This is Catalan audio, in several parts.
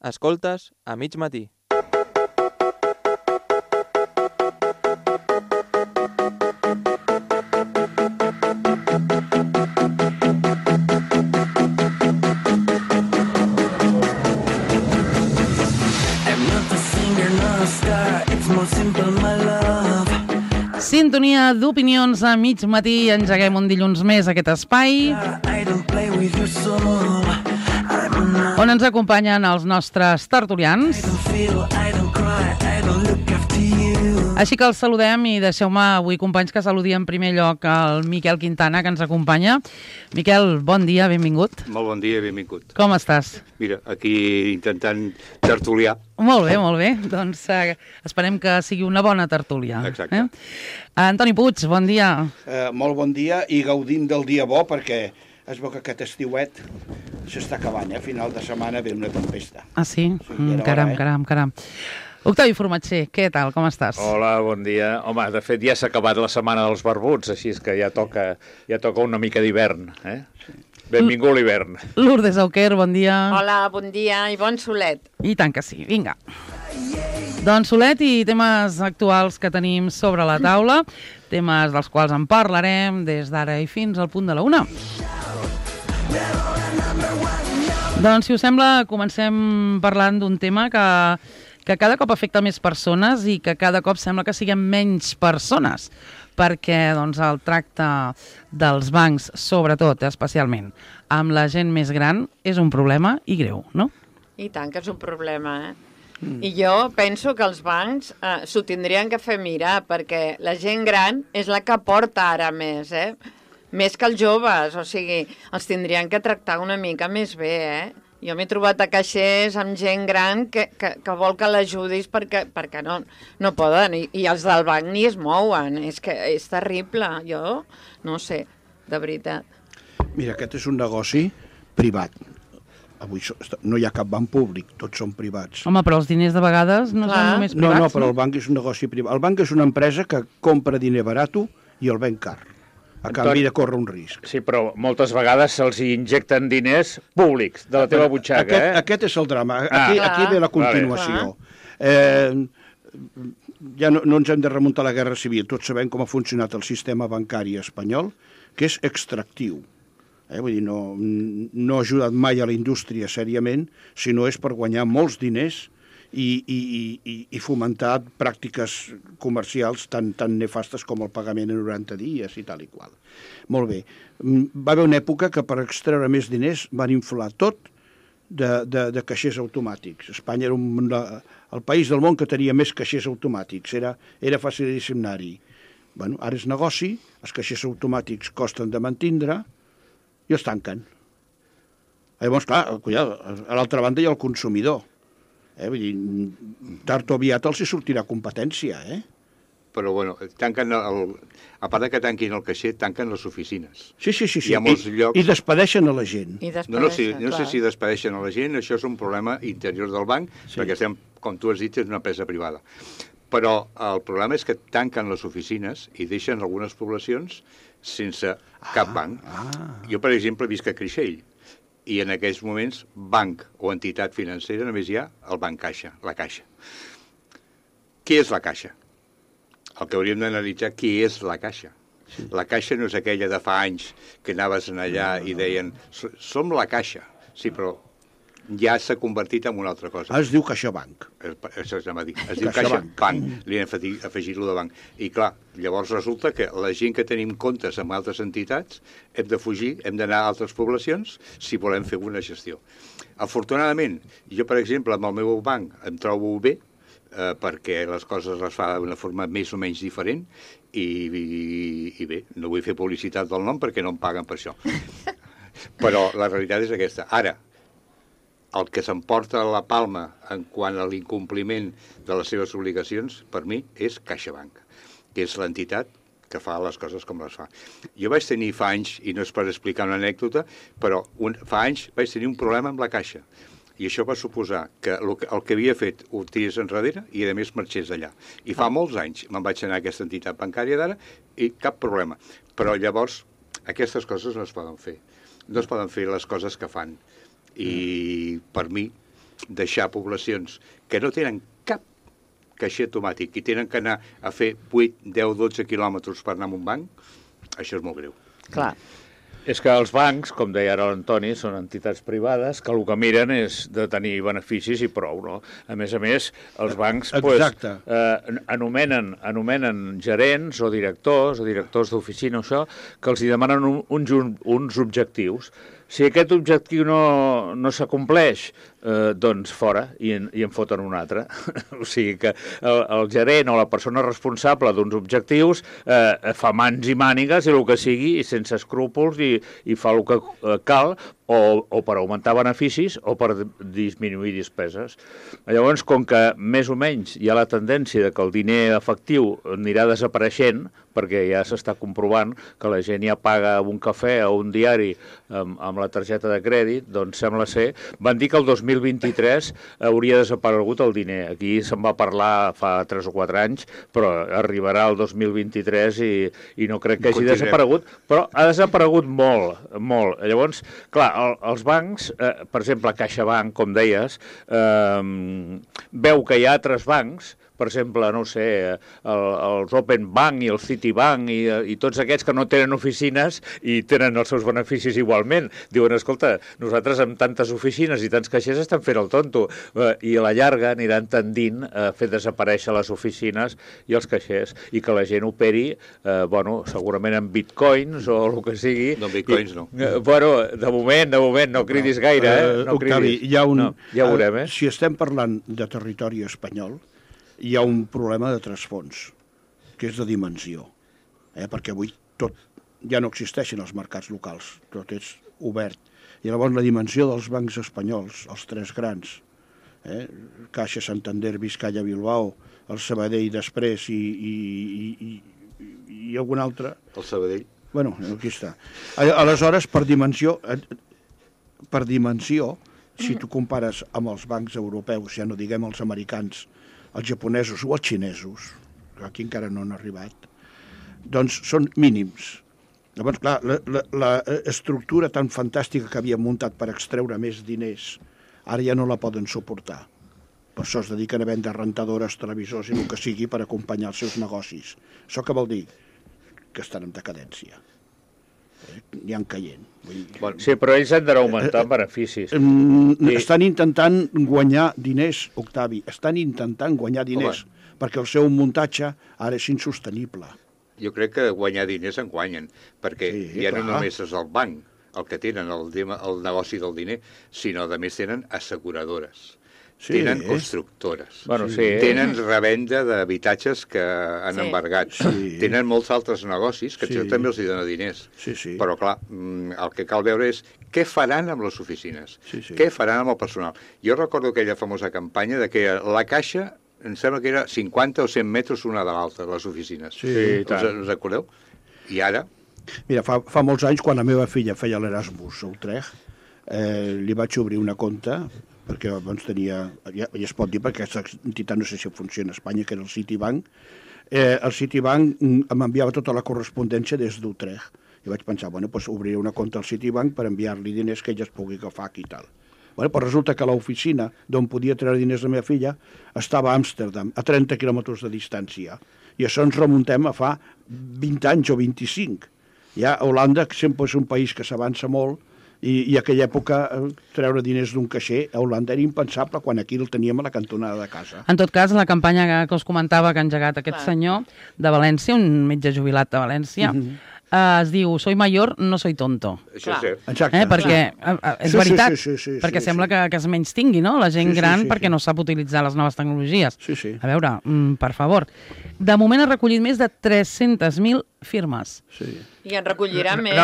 Escoltes a mig matí. Sintonia d'opinions a mig matí. Engeguem un dilluns més aquest espai on ens acompanyen els nostres tertulians. Així que els saludem i deixeu-me avui, companys, que saludi en primer lloc el Miquel Quintana, que ens acompanya. Miquel, bon dia, benvingut. Molt bon dia, benvingut. Com estàs? Mira, aquí intentant tertuliar. Molt bé, molt bé. Doncs esperem que sigui una bona tertúlia. Exacte. Antoni Puig, bon dia. Molt bon dia i gaudint del dia bo, perquè es veu que aquest estiuet s'està acabant, A final de setmana ve una tempesta. Ah, sí? Caram. Caram. Octavi Formatger, què tal, com estàs? Hola, bon dia. Home, de fet ja s'ha acabat la setmana dels barbuts, així és que ja toca una mica d'hivern, Benvingut l'hivern. Lourdes Auquer, bon dia. Hola, bon dia i bon solet. I tant que sí, vinga. Doncs solet i temes actuals que tenim sobre la taula, temes dels quals en parlarem des d'ara i fins al punt de la 1. Doncs, si us sembla, comencem parlant d'un tema que cada cop afecta més persones i que cada cop sembla que siguem menys persones, perquè doncs, el tracte dels bancs, sobretot, especialment, amb la gent més gran, és un problema i greu, no? I tant que és un problema, I jo penso que els bancs s'ho tindrien que fer mirar, perquè la gent gran és la que porta ara més, Més que els joves, o sigui, els tindrien que tractar una mica més bé, Jo m'he trobat a caixers amb gent gran que vol que l'ajudis perquè no poden, i els del banc ni es mouen, és que és terrible, jo no sé, de veritat. Mira, aquest és un negoci privat. Avui no hi ha cap banc públic, tots són privats. Home, però els diners de vegades no són només privats, No, però el banc és un negoci privat. El banc és una empresa que compra diner barat i el ven car, a canvi de córrer un risc. Sí, però moltes vegades se'ls injecten diners públics de la teva butxaca, Aquest és el drama. Aquí ve la continuació. Ja no ens hem de remuntar a la Guerra Civil. Tots sabem com ha funcionat el sistema bancari espanyol, que és extractiu. Vull dir, no ha ajudat mai a la indústria sèriament, sinó és per guanyar molts diners i fomentar pràctiques comercials tan nefastes com el pagament en 90 dies i tal i qual. Molt bé. Va haver una època que per extreure més diners van inflar tot de caixers automàtics. Espanya era el país del món que tenia més caixers automàtics. Era facilíssim anar-hi. Bueno, ara és negoci, els caixers automàtics costen de mantindre i els tanquen. Llavors, clar, a l'altra banda hi ha el consumidor. Vull dir, tard o aviat els hi sortirà competència, Però, bueno, tanquen a part que tanquin el caixer, tanquen les oficines. Sí. Hi ha molts llocs... I despedeixen a la gent. No sé si despedeixen a la gent, això és un problema interior del banc, perquè estem, com tu has dit, és una empresa privada. Però el problema és que tanquen les oficines i deixen algunes poblacions sense cap banc. Jo, per exemple, visc a Creixell, i en aquells moments banc o entitat financera només hi ha el Banc Caixa, la Caixa. Què és la Caixa? El que hauríem d'analitzar què és la Caixa. Sí. La Caixa no és aquella de fa anys que anaves allà i deien som la Caixa. Sí, però ja s'ha convertit en una altra cosa. Es diu CaixaBank. Això es diu CaixaBank. Li han afegit-lo de banc. I clar, llavors resulta que la gent que tenim comptes amb altres entitats hem de fugir, hem d'anar a altres poblacions si volem fer una gestió. Afortunadament, jo, per exemple, amb el meu banc em trobo bé, perquè les coses les fa d'una forma més o menys diferent i bé, no vull fer publicitat del nom perquè no em paguen per això. Però la realitat és aquesta. Ara, el que s'emporta la palma en quant a l'incompliment de les seves obligacions, per mi, és CaixaBank, que és l'entitat que fa les coses com les fa. Jo vaig tenir fa anys, i no és per explicar una anècdota, però fa anys vaig tenir un problema amb la Caixa. I això va suposar que el que havia fet ho tirés enrere i, a més, marxés d'allà. I fa molts anys me'n vaig anar a aquesta entitat bancària d'ara i cap problema. Però llavors aquestes coses no es poden fer. No es poden fer les coses que fan. I per mi deixar poblacions que no tenen cap caixer automàtic i tenen que anar a fer 8, 10, 12 quilòmetres per anar a un banc, això és molt greu. Clar. És que els bancs, com deia ara l'Antoni, són entitats privades que el que miren és de tenir beneficis i prou, no? A més, els bancs anomenen gerents o directors d'oficina, això, que els hi demanen uns objectius. Si aquest objectiu no s'acompleix, doncs fora, i en foten un altre. O sigui que el gerent o la persona responsable d'uns objectius fa mans i mànigues i el que sigui, i sense escrúpols, i fa el que cal, o per augmentar beneficis o per disminuir despeses. Llavors, com que més o menys hi ha la tendència que el diner efectiu anirà desapareixent, perquè ja s'està comprovant que la gent ja paga un cafè o un diari amb la targeta de crèdit, doncs sembla ser... Van dir que el 2023 hauria desaparegut el diner. Aquí se'n va parlar fa 3 o 4 anys, però arribarà el 2023 i no crec que hagi desaparegut, però ha desaparegut molt, molt. Llavors, clar, els bancs, per exemple, CaixaBank, com deies, veu que hi ha altres bancs, per exemple, no sé, els Open Bank i el Citibank i tots aquests que no tenen oficines i tenen els seus beneficis igualment. Diuen, escolta, nosaltres amb tantes oficines i tants caixers estem fent el tonto, i a la llarga aniran tendint a fer desaparèixer les oficines i els caixers, i que la gent operi, segurament amb bitcoins o el que sigui. No, bitcoins no. Bueno, de moment, no cridis gaire, no Octavi, cridis. hi ha un... Ja ho veurem, Si estem parlant de territori espanyol, hi ha un problema de trasfons, que és de dimensió, perquè avui tot ja no existeixen els mercats locals, tot és obert. I llavors la dimensió dels bancs espanyols, els 3 grans, Caixa, Santander, Vizcaya, Bilbao, el Sabadell després i algun altre... El Sabadell. Bueno, aquí està. Aleshores, per dimensió, si tu compares amb els bancs europeus, ja no diguem els americans, els japonesos o els xinesos, que aquí encara no han arribat, doncs són mínims. Llavors, clar, la estructura tan fantàstica que havien muntat per extreure més diners, ara ja no la poden suportar. Per això es dediquen a vendre rentadores, televisors i el que sigui per acompanyar els seus negocis. Això què vol dir? Que estan en decadència. N'hi han caient. Sí, però ells han d'augmentar beneficis. Estan intentant guanyar diners, Octavi, perquè el seu muntatge ara és insostenible. Jo crec que guanyar diners en guanyen, perquè ja no només és el banc el que tenen el negoci del diner, sinó a més tenen asseguradores. Tenen constructores, tenen revenda d'habitatges que han embargat, tenen molts altres negocis que també els donen diners. Però, clar, el que cal veure és què faran amb les oficines, què faran amb el personal. Jo recordo aquella famosa campanya de que la Caixa, em sembla que era 50 o 100 metres una de l'altra, les oficines. Us recordeu? I ara... Mira, fa molts anys, quan la meva filla feia l'Erasmus a Utrecht, li vaig obrir una compte, perquè abans tenia, ja es pot dir perquè aquesta entitat no sé si funciona a Espanya, que era el Citibank. El Citibank m'enviava tota la correspondència des d'Utrecht. I vaig pensar, doncs obriré una compte al Citibank per enviar-li diners que ella es pugui agafar aquí i tal. Però resulta que l'oficina d'on podia treure diners la meva filla estava a Amsterdam, a 30 quilòmetres de distància. I això ens remuntem a fa 20 anys o 25. Ja Holanda, que sempre és un país que s'avança molt, i a aquella època treure diners d'un caixer a Holanda era impensable quan aquí el teníem a la cantonada de casa. En tot cas, la campanya que us comentava que ha engegat aquest senyor de València, un metge jubilat de València, es diu Soy mayor, no soy tonto. Això és cert. Exacte. Perquè és veritat, perquè sembla que es menys tingui, no? La gent gran perquè no sap utilitzar les noves tecnologies. A veure, per favor. De moment ha recollit més de 300.000 firmes. I en recollirà més.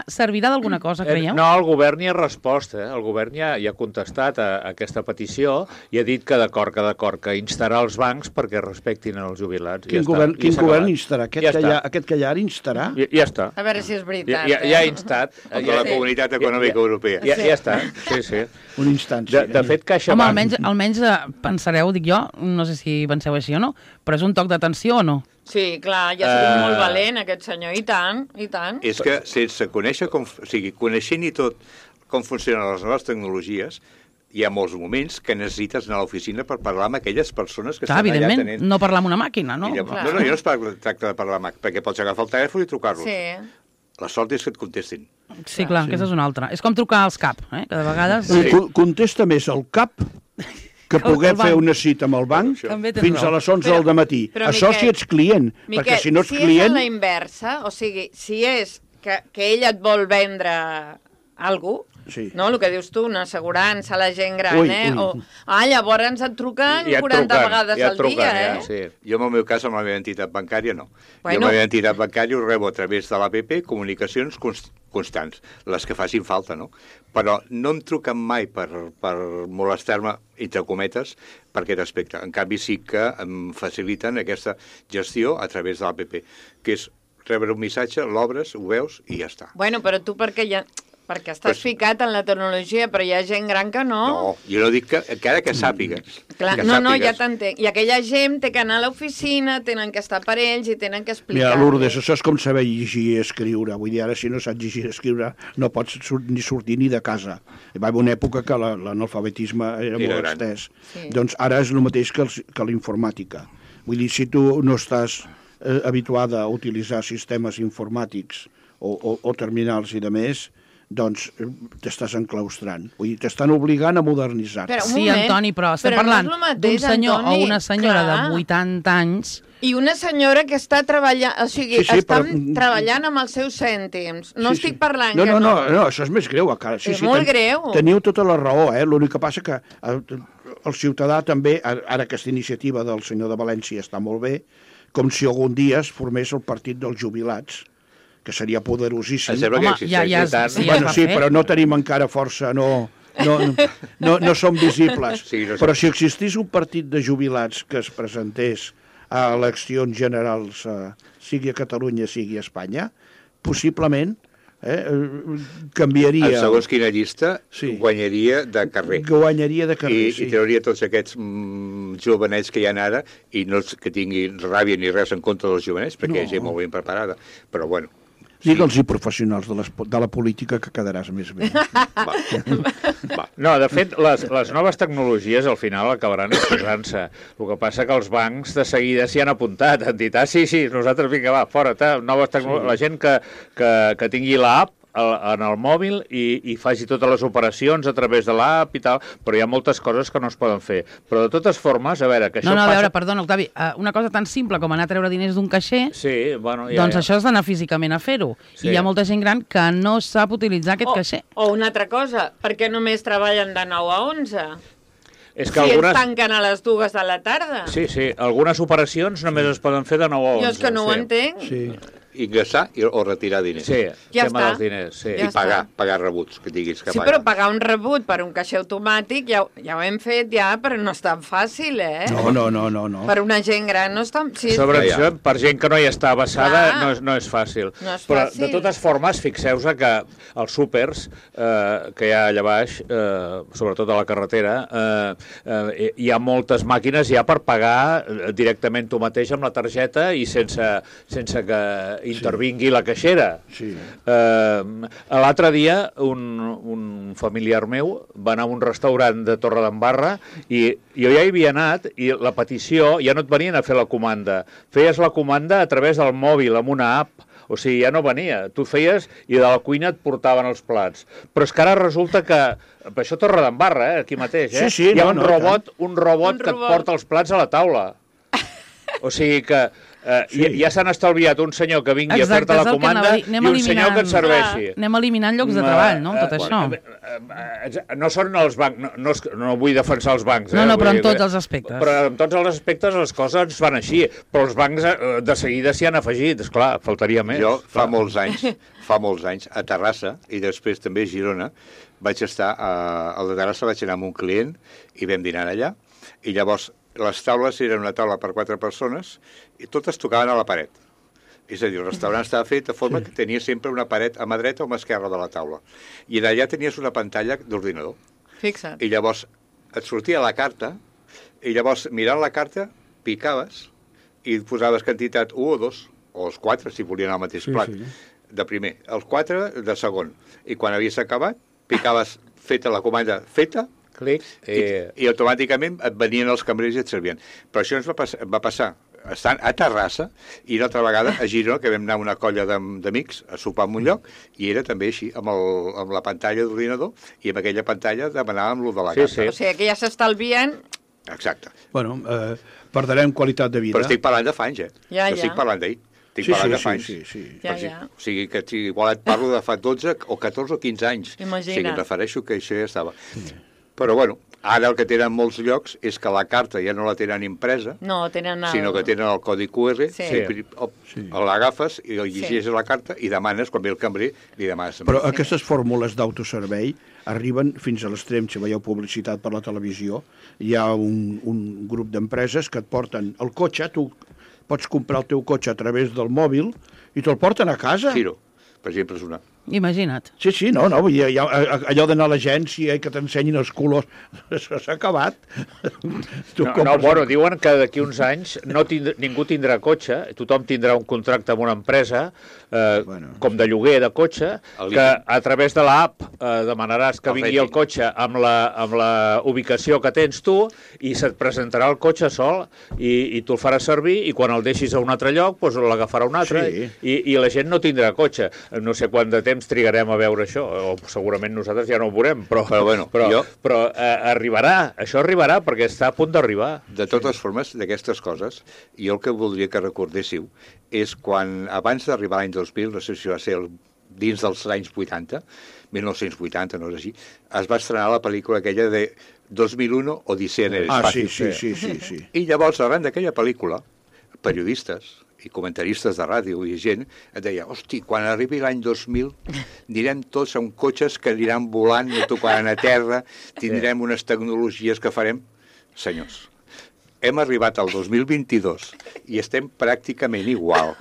Servirà d'alguna cosa, creieu? No, el govern hi ha respost. El govern ja ha contestat a aquesta petició i ha dit que d'acord, que instarà els bancs perquè respectin els jubilats. Quin govern instarà? Aquest que hi ha ara instarà? Ja està. A veure si és veritat. Ja ha instat. La Comunitat Econòmica Europea. Ja està, sí. Una instància. De fet, CaixaBank... Home, almenys pensareu, dic jo, no sé si penseu així o no, però és un toc d'atenció o no? Sí, clar, ja ha sigut molt valent aquest senyor, i tant. És que sense conèixer, coneixent i tot com funcionen les noves tecnologies, hi ha molts moments que necessites anar a l'oficina per parlar amb aquelles persones que Clar, estan allà evidentment, tenint... no parlar amb una màquina, no? Jo no tracta de parlar amb perquè pots agafar el telèfon i trucar-los. Sí. La sort és que et contestin. Sí, clar, aquesta és una altra. És com trucar als CAP, que de vegades... Contesta més el CAP que poder fer una cita amb el banc fins a les 11 del matí. Això si ets client, perquè si no ets client... Si és a la inversa, o sigui, si és que ell et vol vendre alguna cosa, no? El que dius tu, una assegurança a la gent gran, llavors et truquen 40 vegades al dia, Sí. Jo, en el meu cas, amb la meva entitat bancària, no. Jo, amb la meva entitat bancària, ho rebo a través de l'APP, comunicacions constants, les que facin falta, no? Però no em truquen mai per molestar-me, entre cometes, per aquest aspecte. En canvi, sí que em faciliten aquesta gestió a través de l'APP, que és rebre un missatge, l'obres, ho veus i ja està. Bueno, però tu perquè estàs ficat en la tecnologia, però hi ha gent gran que no. No, jo no dic que encara que sàpigues. Clar, ja t'entenc. I aquella gent té que anar a l'oficina, tenen que estar per ells i tenen que explicar. Mira, Lourdes, això és com saber llegir i escriure. Vull dir, ara si no saps llegir i escriure no pots ni sortir ni de casa. Hi va haver una època que l'analfabetisme era molt extès. Sí. Doncs ara és el mateix que l'informàtica. Vull dir, si tu no estàs habituada a utilitzar sistemes informàtics o terminals i de més, doncs t'estàs enclaustrant. Vull dir, t'estan obligant a modernitzar-te. Sí, Antoni, però estem parlant d'un senyor o una senyora de 80 anys... I una senyora que està treballant, o sigui, treballant amb els seus cèntims. No estic parlant que no. No, això és més greu. És molt greu. Teniu tota la raó, l'únic que passa que el ciutadà també, ara aquesta iniciativa del senyor de València està molt bé, com si algun dia es formés el partit dels jubilats, que seria poderosíssim. Home, sí, però no tenim encara força, no som visibles. Però si existís un partit de jubilats que es presentés a eleccions generals, sigui a Catalunya, sigui a Espanya, possiblement canviaria... Segons quina llista, guanyaria de carrer. Guanyaria de carrer, I trauria tots aquests jovenets que hi ha ara, i no que tinguin ràbia ni res en contra dels jovenets, perquè hi ha gent molt ben preparada. Però, bueno... Digue'ls-hi professionals de la política que quedaràs més bé. No, de fet, les noves tecnologies al final acabaran exposant-se. El que passa que els bancs de seguida s'hi han apuntat, han dit, sí, nosaltres vinga, va, fora, noves tecnologies. La gent que tingui l'app en el mòbil i faci totes les operacions a través de l'app i tal, però hi ha moltes coses que no es poden fer. Però de totes formes, a veure, que això passa... perdona, Octavi, una cosa tan simple com anar a treure diners d'un caixer, doncs això has d'anar físicament a fer-ho. I hi ha molta gent gran que no sap utilitzar aquest caixer. O una altra cosa, perquè només treballen de 9 a 11? És que algunes... ens tanquen a les 2 de la tarda. Sí, algunes operacions només es poden fer de 9 a 11. Jo és que no ho entenc. Sí. Ingressar o retirar diners. Sí, ja tema dels diners. Sí. I pagar rebuts, que diguis que pagar. Sí, però pagar un rebut per un caixer automàtic ja ho hem fet però no és tan fàcil, No. Per una gent gran no és tan... Sí, Sobretot per gent que no hi està avesada no és fàcil. No és però, fàcil. De totes formes, fixeu-se que els súpers que hi ha allà baix, sobretot a la carretera, hi ha moltes màquines ja per pagar directament tu mateix amb la targeta i sense que intervingui la caixera. Sí. L'altre dia un familiar meu va anar a un restaurant de Torredembarra i jo ja hi havia anat i la petició ja no et venien a fer la comanda. Feies la comanda a través del mòbil amb una app. O sigui, ja no venia. Tu feies i de la cuina et portaven els plats. Però és que ara resulta que... Per això Torredembarra, aquí mateix, Sí, hi ha un robot que et porta els plats a la taula. O sigui que... ja s'han estalviat un senyor que vingui a fer-te la comanda i un senyor que et serveixi. Anem eliminant llocs de treball, no? Tot això. No són els bancs, no vull defensar els bancs. No, però en tots els aspectes. Però en tots els aspectes les coses van així, però els bancs de seguida s'hi han afegit, esclar, faltaria més. Jo fa molts anys, a Terrassa i després també a Girona, vaig estar, al de Terrassa vaig anar amb un client i vam dinar allà, i llavors les taules eren una taula per 4 persones i totes tocaven a la paret. És a dir, el restaurant estava fet de forma que tenia sempre una paret a mà dreta o a mà esquerra de la taula. I allà tenies una pantalla d'ordinador. Fixa't. I llavors et sortia la carta i llavors mirant la carta picaves i posaves quantitat 1 o 2 o els 4 si volien al mateix plat. De primer, els 4 de segon. I quan havies acabat, picaves feta la comanda feta Clic. I automàticament et venien els cambrers i et servien. Però això ens va passar estant a Terrassa i una altra vegada a Girona, que vam anar una colla d'amics a sopar en un lloc, i era també així, amb la pantalla d'ordinador, i amb aquella pantalla demanàvem lo de la carta. O sigui que ja s'estalvien... Exacte. Bueno, perdrem qualitat de vida. Però estic parlant de fa anys, Ja. Estic parlant d'ahir. Estic parlant de fa anys. Sí. Ja. O sigui, que igual et parlo de fa 12 o 14 o 15 anys. Imagina't. O sigui, em refereixo que això ja estava. Però, bueno, ara el que tenen molts llocs és que la carta ja no la tenen impresa, No, tenen sinó que tenen el codi QR, Sí. l'agafes i llegeixes la carta i demanes, quan ve el cambrer, li demanes. Però aquestes fórmules d'autoservei arriben fins a l'extrem. Si veieu publicitat per la televisió, hi ha un grup d'empreses que et porten el cotxe, tu pots comprar el teu cotxe a través del mòbil i te'l porten a casa. Giro, per exemple, és una. Imagina't. Sí, no, vull dir, allò d'anar a l'agència i que t'ensenyin els colors, això s'ha acabat. Bueno, diuen que d'aquí uns anys ningú tindrà cotxe, tothom tindrà un contracte amb una empresa, com de lloguer de cotxe, que a través de l'app demanaràs que vingui el cotxe amb la ubicació que tens tu i se't presentarà el cotxe sol i tu el faràs servir i quan el deixis a un altre lloc doncs l'agafarà un altre i la gent no tindrà cotxe. No sé quant de temps trigarem a veure això, o segurament nosaltres ja no ho veurem, però arribarà, això arribarà perquè està a punt d'arribar. De totes formes, d'aquestes coses, jo el que voldria que recordéssiu és quan, abans d'arribar l'any 2000, no sé si va ser dins dels anys 80, 1980, no és així, es va estrenar la pel·lícula aquella de 2001, Odissea en el espacio. Sí. I llavors, arran d'aquella pel·lícula, periodistes i comentaristes de ràdio i gent et deia, hosti, quan arribi l'any 2000 anirem tots amb cotxes que aniran volant, no tocaran a terra, tindrem unes tecnologies que farem. Senyors, hem arribat al 2022 i estem pràcticament igual.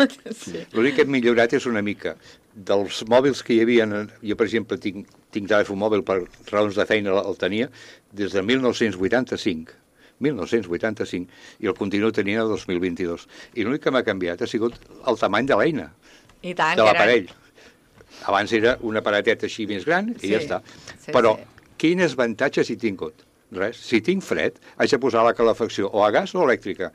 L'únic que hem millorat és una mica dels mòbils que hi havia. Jo, per exemple, tinc telèfon mòbil per raons de feina, el tenia des de 1985, i el continuo tenint el 2022. I l'únic que m'ha canviat ha sigut el tamany de l'eina, de l'aparell. Abans era un aparatet així més gran i ja està. Però quins avantatges he tingut? Res. Si tinc fred, haig de posar la calefacció o a gas o elèctrica.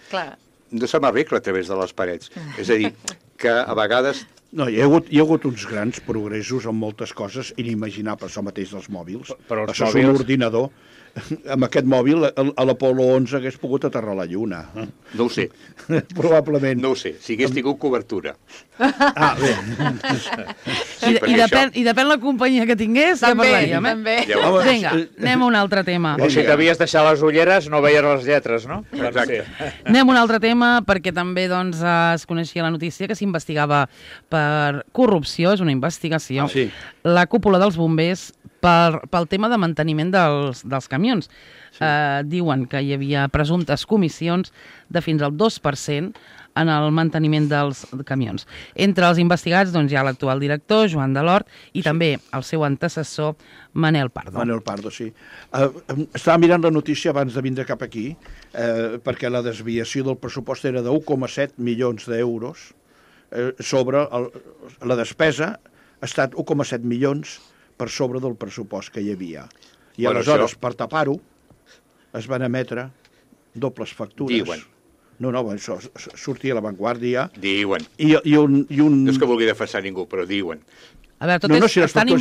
No se m'arregla a través de les parets. És a dir, que a vegades... No, hi ha hagut uns grans progressos en moltes coses inimaginables, això mateix dels mòbils. Però això és un ordinador. Amb aquest mòbil, a l'Apolo 11 hagués pogut aterrar a la Lluna. No ho sé. Probablement. No ho sé, si hagués tingut cobertura. Bé. I depèn la companyia que tingués, ja parlaríem, també. Vinga, anem a un altre tema. O si t'havies deixat les ulleres, no veies les lletres, no? Exacte. Anem a un altre tema, perquè també es coneixia la notícia que s'investigava per corrupció, és una investigació, la cúpula dels bombers pel tema de manteniment dels camions. Diuen que hi havia presumptes comissions de fins al 2% en el manteniment dels camions. Entre els investigats hi ha l'actual director, Joan Delort, i també el seu antecessor, Manel Pardo. Manel Pardo, sí. Estava mirant la notícia abans de vindre cap aquí, perquè la desviació del pressupost era de 1,7 milions d'euros sobre la despesa ha estat 1,7 milions per sobre del pressupost que hi havia. I aleshores, per tapar-ho, es van emetre dobles factures. Diuen. No, això sortia a l'avantguàrdia. Diuen. No és que vulgui defensar ningú, però diuen. A veure, està en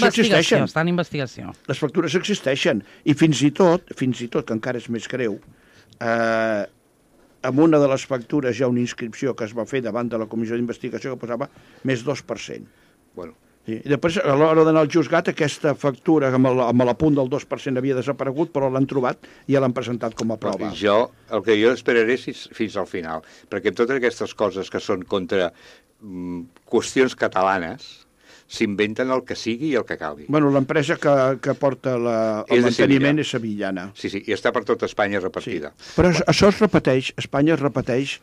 investigació. Les factures existeixen. I fins i tot, que encara és més greu, amb una de les factures hi ha una inscripció que es va fer davant de la comissió d'investigació que posava més 2%. Bueno. I després, a l'hora d'anar al juzgat, aquesta factura amb l'apunt del 2% havia desaparegut, però l'han trobat i ja l'han presentat com a prova. El que jo esperaré és fins al final, perquè totes aquestes coses que són contra qüestions catalanes s'inventen el que sigui i el que calgui. Bueno, l'empresa que porta el manteniment és sevillana. Sí, i està per tota Espanya repartida. Sí. Però això es repeteix, Espanya es repeteix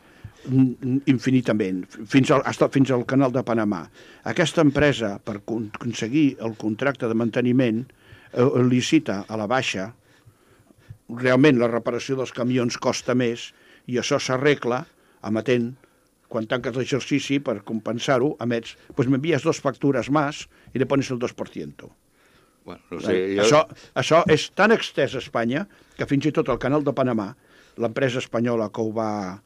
infinitament, fins al canal de Panamà. Aquesta empresa, per aconseguir el contracte de manteniment, licita a la baixa. Realment la reparació dels camions costa més i això s'arregla emetent, quan tanques l'exercici, per compensar-ho, emets, pues m'envies 2 factures més i le pones el 2%. Bueno, no sé, jo... Això és tan extès a Espanya que fins i tot el canal de Panamà, l'empresa espanyola que va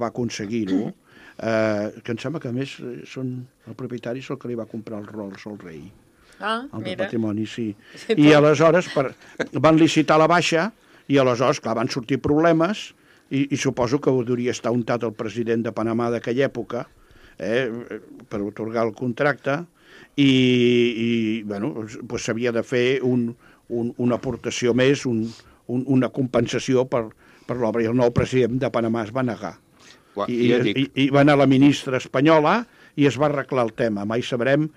aconseguir-ho, que em sembla que a més el propietari és el que li va comprar els Rolls al rei. El de patrimoni, sí. I aleshores van licitar la baixa i aleshores, clar, van sortir problemes i suposo que ho hauria estar untat el president de Panamà d'aquella època per otorgar el contracte i bueno, pues s'havia de fer una aportació més, una compensació per l'obra, i el nou president de Panamà es va negar. I va anar la ministra espanyola i es va arreglar el tema. Mai sabrem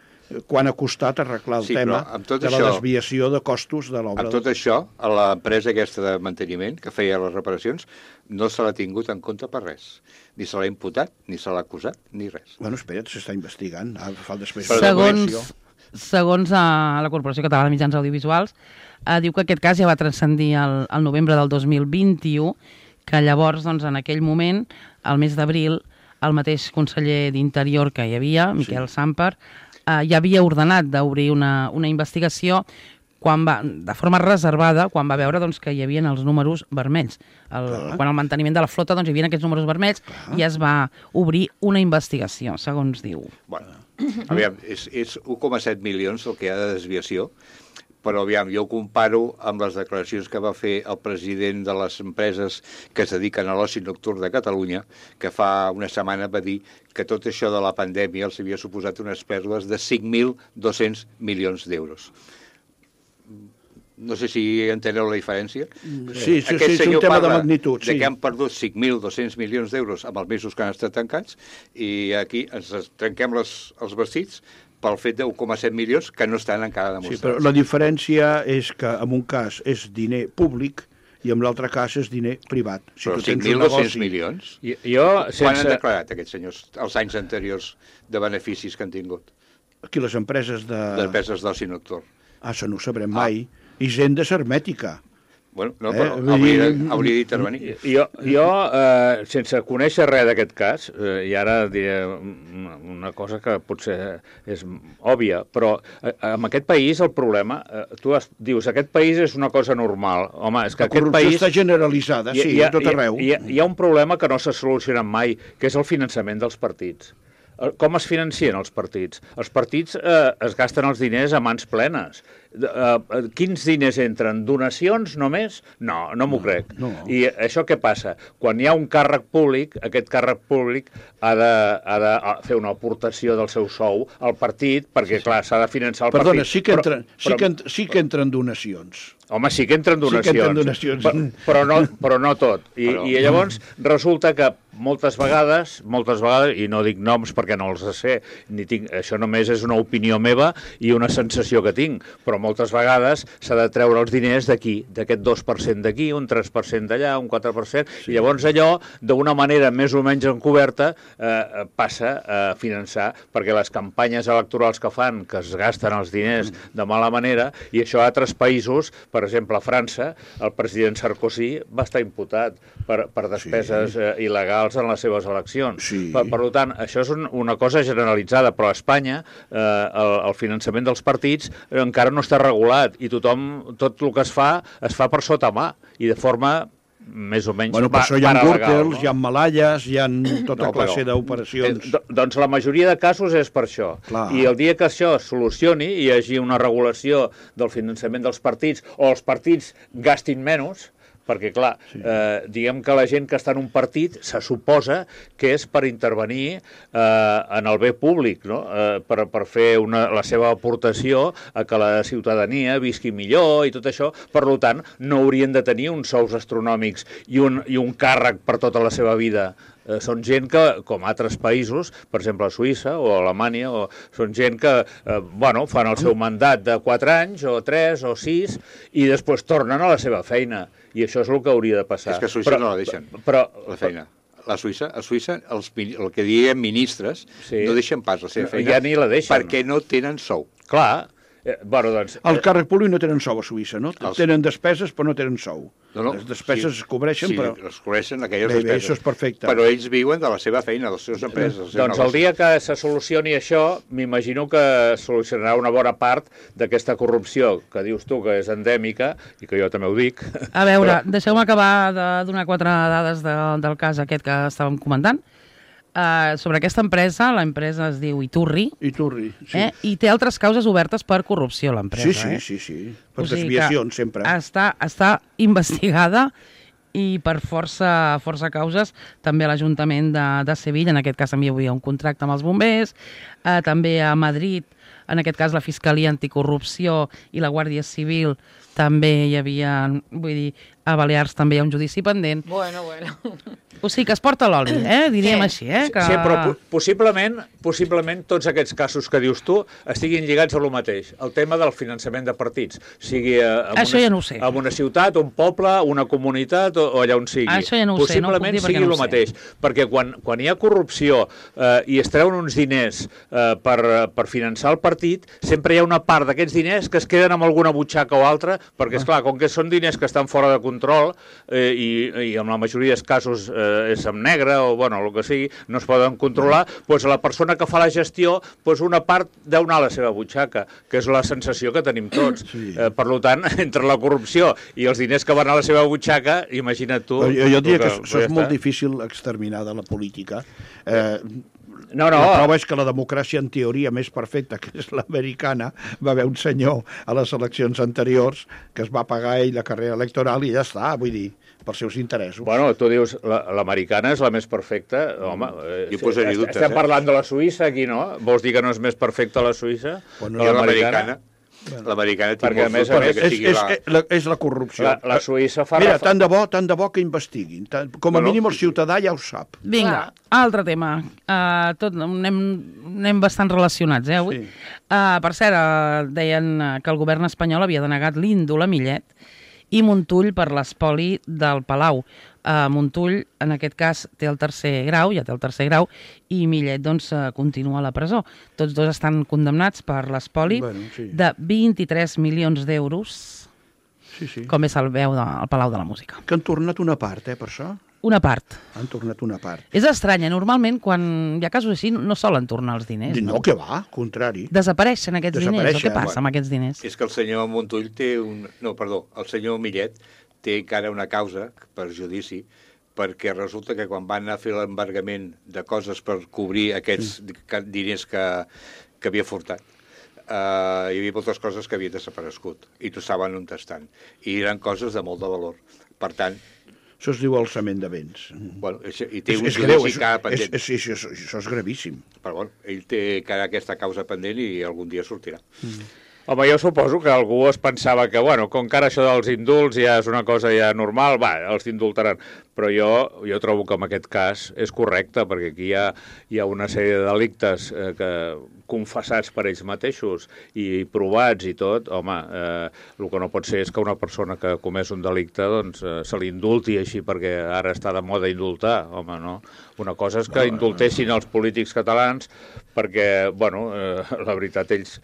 quan ha costat arreglar el tema de la desviació de costos de l'obra. Amb tot això, a l'empresa aquesta de manteniment, que feia les reparacions, no se l'ha tingut en compte per res. Ni se l'ha imputat, ni se l'ha acusat, ni res. Bueno, espera't, s'està investigant. Segons la Corporació Catalana de Mitjans Audiovisuals, diu que aquest cas ja va transcendir el novembre del 2021, que llavors, doncs, en aquell moment, al mes d'abril, el mateix conseller d'Interior que hi havia, Miquel Samper, ja havia ordenat d'obrir una investigació de forma reservada, quan va veure doncs, que hi havia els números vermells. Quan el manteniment de la flota hi havia aquests números vermells i es va obrir una investigació, segons diu. Bueno, aviam, és 1,7 milions el que hi ha de desviació, però aviam, jo ho comparo amb les declaracions que va fer el president de les empreses que es dediquen a l'oci nocturn de Catalunya, que fa una setmana va dir que tot això de la pandèmia els havia suposat unes pèrdues de 5.200 milions d'euros. No sé si enteneu la diferència. Sí, és un tema de magnitud. De que han perdut 5.200 milions d'euros amb els mesos que han estat tancats i aquí ens trenquem els vestits pel fet de 1,7 milions que no estan encara demostrats. Sí, però la diferència és que en un cas és diner públic i en l'altre cas és diner privat. Però 5.200 milions? Quan han declarat aquests senyors els anys anteriors de beneficis que han tingut? Aquí les empreses d'empreses d'oci nocturn. Això no ho sabrem mai. Hisenda hermètica. Bueno, no, però hauria d'intervenir. Jo, sense conèixer res d'aquest cas, i ara diré una cosa que potser és òbvia, però en aquest país el problema, tu dius, aquest país és una cosa normal. Home, és que aquest país... està generalitzada, sí, a tot arreu. Hi ha un problema que no s'ha solucionat mai, que és el finançament dels partits. Com es financien els partits? Els partits es gasten els diners a mans plenes. Quins diners entren? Donacions només? No m'ho crec. I això què passa? Quan hi ha un càrrec públic, aquest càrrec públic ha de fer una aportació del seu sou al partit, perquè, clar, s'ha de finançar el partit. Perdona, sí que entren donacions. Home, sí que entren donacions. Però no tot. I llavors resulta que moltes vegades, i no dic noms perquè no els sé, això només és una opinió meva i una sensació que tinc, però moltes vegades s'ha de treure els diners d'aquí, d'aquest 2% d'aquí, un 3% d'allà, un 4%, i llavors allò, d'una manera més o menys encoberta, passa a finançar, perquè les campanyes electorals que fan, que es gasten els diners de mala manera, i això a altres països, per exemple a França, el president Sarkozy va estar imputat per despeses il·legals en les seves eleccions. Per tant, això és una cosa generalitzada, però a Espanya el finançament dels partits encara no està regulat i tothom, tot el que es fa per sota mà i de forma més o menys per això hi ha gürtels, hi ha malalles, hi ha tota classe d'operacions. Doncs la majoria de casos és per això. I el dia que això es solucioni i hi hagi una regulació del finançament dels partits o els partits gastin menys, perquè, clar, diguem que la gent que està en un partit se suposa que és per intervenir en el bé públic, no? Per fer la seva aportació a que la ciutadania visqui millor i tot això. Per tant, no haurien de tenir uns sous astronòmics i un càrrec per tota la seva vida. Són gent que, com altres països, per exemple a Suïssa o a Alemanya, són gent que fan el seu mandat de 4 anys o 3 o 6 i després tornen a la seva feina. I això és el que hauria de passar. És que a Suïssa no la deixen, la feina. A Suïssa, el que diem ministres, no deixen pas la seva feina. Ja ni la deixen. Perquè no tenen sou. Clar, Doncs, El càrrec públic no tenen sou a Suïssa, no? Tenen despeses, però no tenen sou. No, les despeses es cobreixen, però... Sí, es cobreixen aquelles bé, despeses. això és perfecte. Però ells viuen de la seva feina, de les seves empreses. Doncs el dia que se solucioni això, m'imagino que solucionarà una bona part d'aquesta corrupció que dius tu que és endèmica, i que jo també ho dic. A veure, deixeu-me acabar de donar 4 dades del cas aquest que estàvem comentant. Sobre aquesta empresa, l'empresa es diu Iturri, sí. I té altres causes obertes per corrupció, l'empresa. Sí. Per desviacions, sempre. Està investigada i per força causes, també l'Ajuntament de Sevilla, en aquest cas també hi havia un contracte amb els bombers, també a Madrid, en aquest cas la Fiscalia Anticorrupció i la Guàrdia Civil també hi havia, vull dir, a Balears també hi ha un judici pendent. Bueno. O sigui que es porta l'oli, diríem així, Que... Sí, però possiblement tots aquests casos que dius tu estiguin lligats a lo mateix. El tema del finançament de partits, sigui en una ciutat, un poble, una comunitat o allà on sigui. Això ja no ho sé, no ho puc dir perquè no ho sé. Possiblement sigui el mateix, perquè quan hi ha corrupció i es treuen uns diners per finançar el partit, sempre hi ha una part d'aquests diners que es queden amb alguna butxaca o altra, perquè, esclar, com que són diners que estan fora de control i en la majoria dels casos és en negre o, bueno, el que sigui, no es poden controlar, doncs la persona que fa la gestió, doncs una part deu anar a la seva butxaca, que és la sensació que tenim tots. Sí. Per tant, entre la corrupció i els diners que van a la seva butxaca, imagina't tu... Jo diria que això és molt difícil exterminar de la política. No. La prova és que la democràcia en teoria més perfecta, que és l'americana, va haver un senyor a les eleccions anteriors que es va pagar ell la carrera electoral i ja està, vull dir, pels seus interessos. Bueno, tu dius, l'americana és la més perfecta. Home, estem parlant de la Suïssa aquí, no? Vols dir que no és més perfecta la Suïssa? Bueno, l'americana. L'americana té molt més que sigui és la corrupció. La Suïssa fa... Mira, tant de bo que investiguin. Com a mínim el ciutadà ja ho sap. Vinga, altre tema. Anem bastant relacionats, avui. Sí. Per cert, deien que el govern espanyol havia denegat l'índol a Millet i Montull per l'espoli del Palau. Montull, en aquest cas, té el tercer grau, i Millet, doncs, continua a la presó. Tots dos estan condemnats per l'espoli de 23 milions d'euros, com és el veu del Palau de la Música. Que han tornat una part, per això? Una part. Han tornat una part. És estranya, normalment, quan hi ha casos així, no solen tornar els diners. No, que va, contrari. Desapareixen aquests diners, o què passa amb aquests diners? És que el senyor Montull té el senyor Millet té encara una causa per judici, perquè resulta que quan van anar a fer l'embargament de coses per cobrir aquests diners que havia furtat, hi havia moltes coses que havien desaparegut i no saben on estan. I eren coses de molt de valor. Per tant... Això es diu alçament de béns. Bueno, i té un judici encara pendent. Sí, això és gravíssim. Però bueno, ell té encara aquesta causa pendent i algun dia sortirà. Home, jo suposo que algú es pensava que, bueno, com que ara això dels indults ja és una cosa ja normal, els indultaran. Però jo trobo que en aquest cas és correcte, perquè aquí hi ha una sèrie de delictes confessats per ells mateixos i provats i tot. Home, el que no pot ser és que una persona que ha comès un delicte doncs, se l'indulti així perquè ara està de moda indultar. Home, no. Una cosa és que indultessin els polítics catalans perquè, bueno, la veritat, ells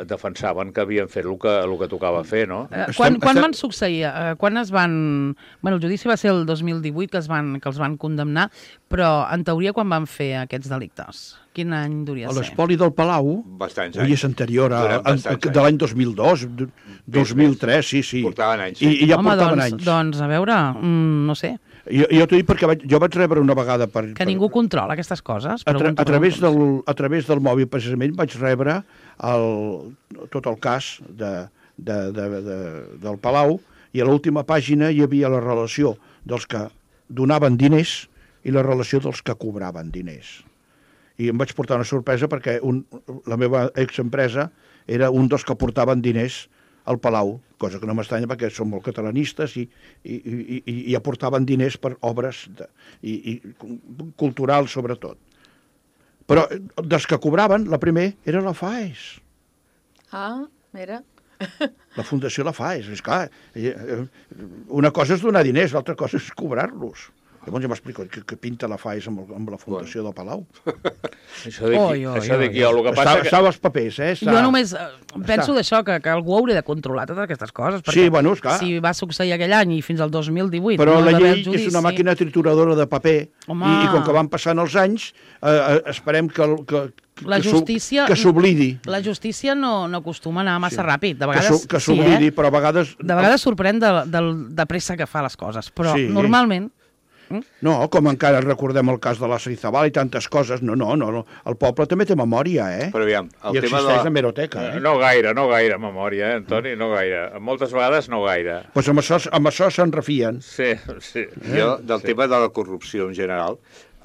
defensaven que havien fet el que tocava fer, no? Quan van succeir? Quan es van... Bueno, el judici va ser el 2018 que els van condemnar, però en teoria quan van fer aquests delictes? Quin any duria ser? L'espoli del Palau és anterior de l'any 2002, 2003, sí. Portaven anys. I ja portaven anys. Doncs, a veure, no sé. Jo t'ho dic perquè jo vaig rebre una vegada... Que ningú controla aquestes coses? A través del mòbil, precisament, vaig rebre tot el cas del Palau i a l'última pàgina hi havia la relació dels que donaven diners i la relació dels que cobraven diners. I em vaig portar una sorpresa perquè la meva exempresa era un dels que portaven diners al Palau, cosa que no m'estranya perquè són molt catalanistes i aportaven diners per obres culturals, sobretot. Però dels que cobraven, la primer era la FAES. Mira. La Fundació La FAES. És clar, una cosa és donar diners, l'altra cosa és cobrar-los. Llavors ja m'explico que pinta la Faes amb la Fundació del Palau. Això dic jo, el que passa... Estava als papers, Jo només penso d'això, que algú hauria de controlar totes aquestes coses, perquè esclar. si va succeir aquell any i fins al 2018... Però la llei és una màquina trituradora de paper, i com que van passant els anys, esperem que s'oblidi. La justícia no acostuma a anar massa ràpid. De vegades que s'oblidi, però a vegades... De vegades sorprèn de pressa que fa les coses, però normalment... No, com encara recordem el cas de la Sarizabal i tantes coses. No. El poble també té memòria, Però aviam, i existeix l'hemeroteca, No gaire memòria, Antoni, no gaire. Moltes vegades no gaire. Doncs amb això se'n refien. Sí. Jo, del tema de la corrupció en general,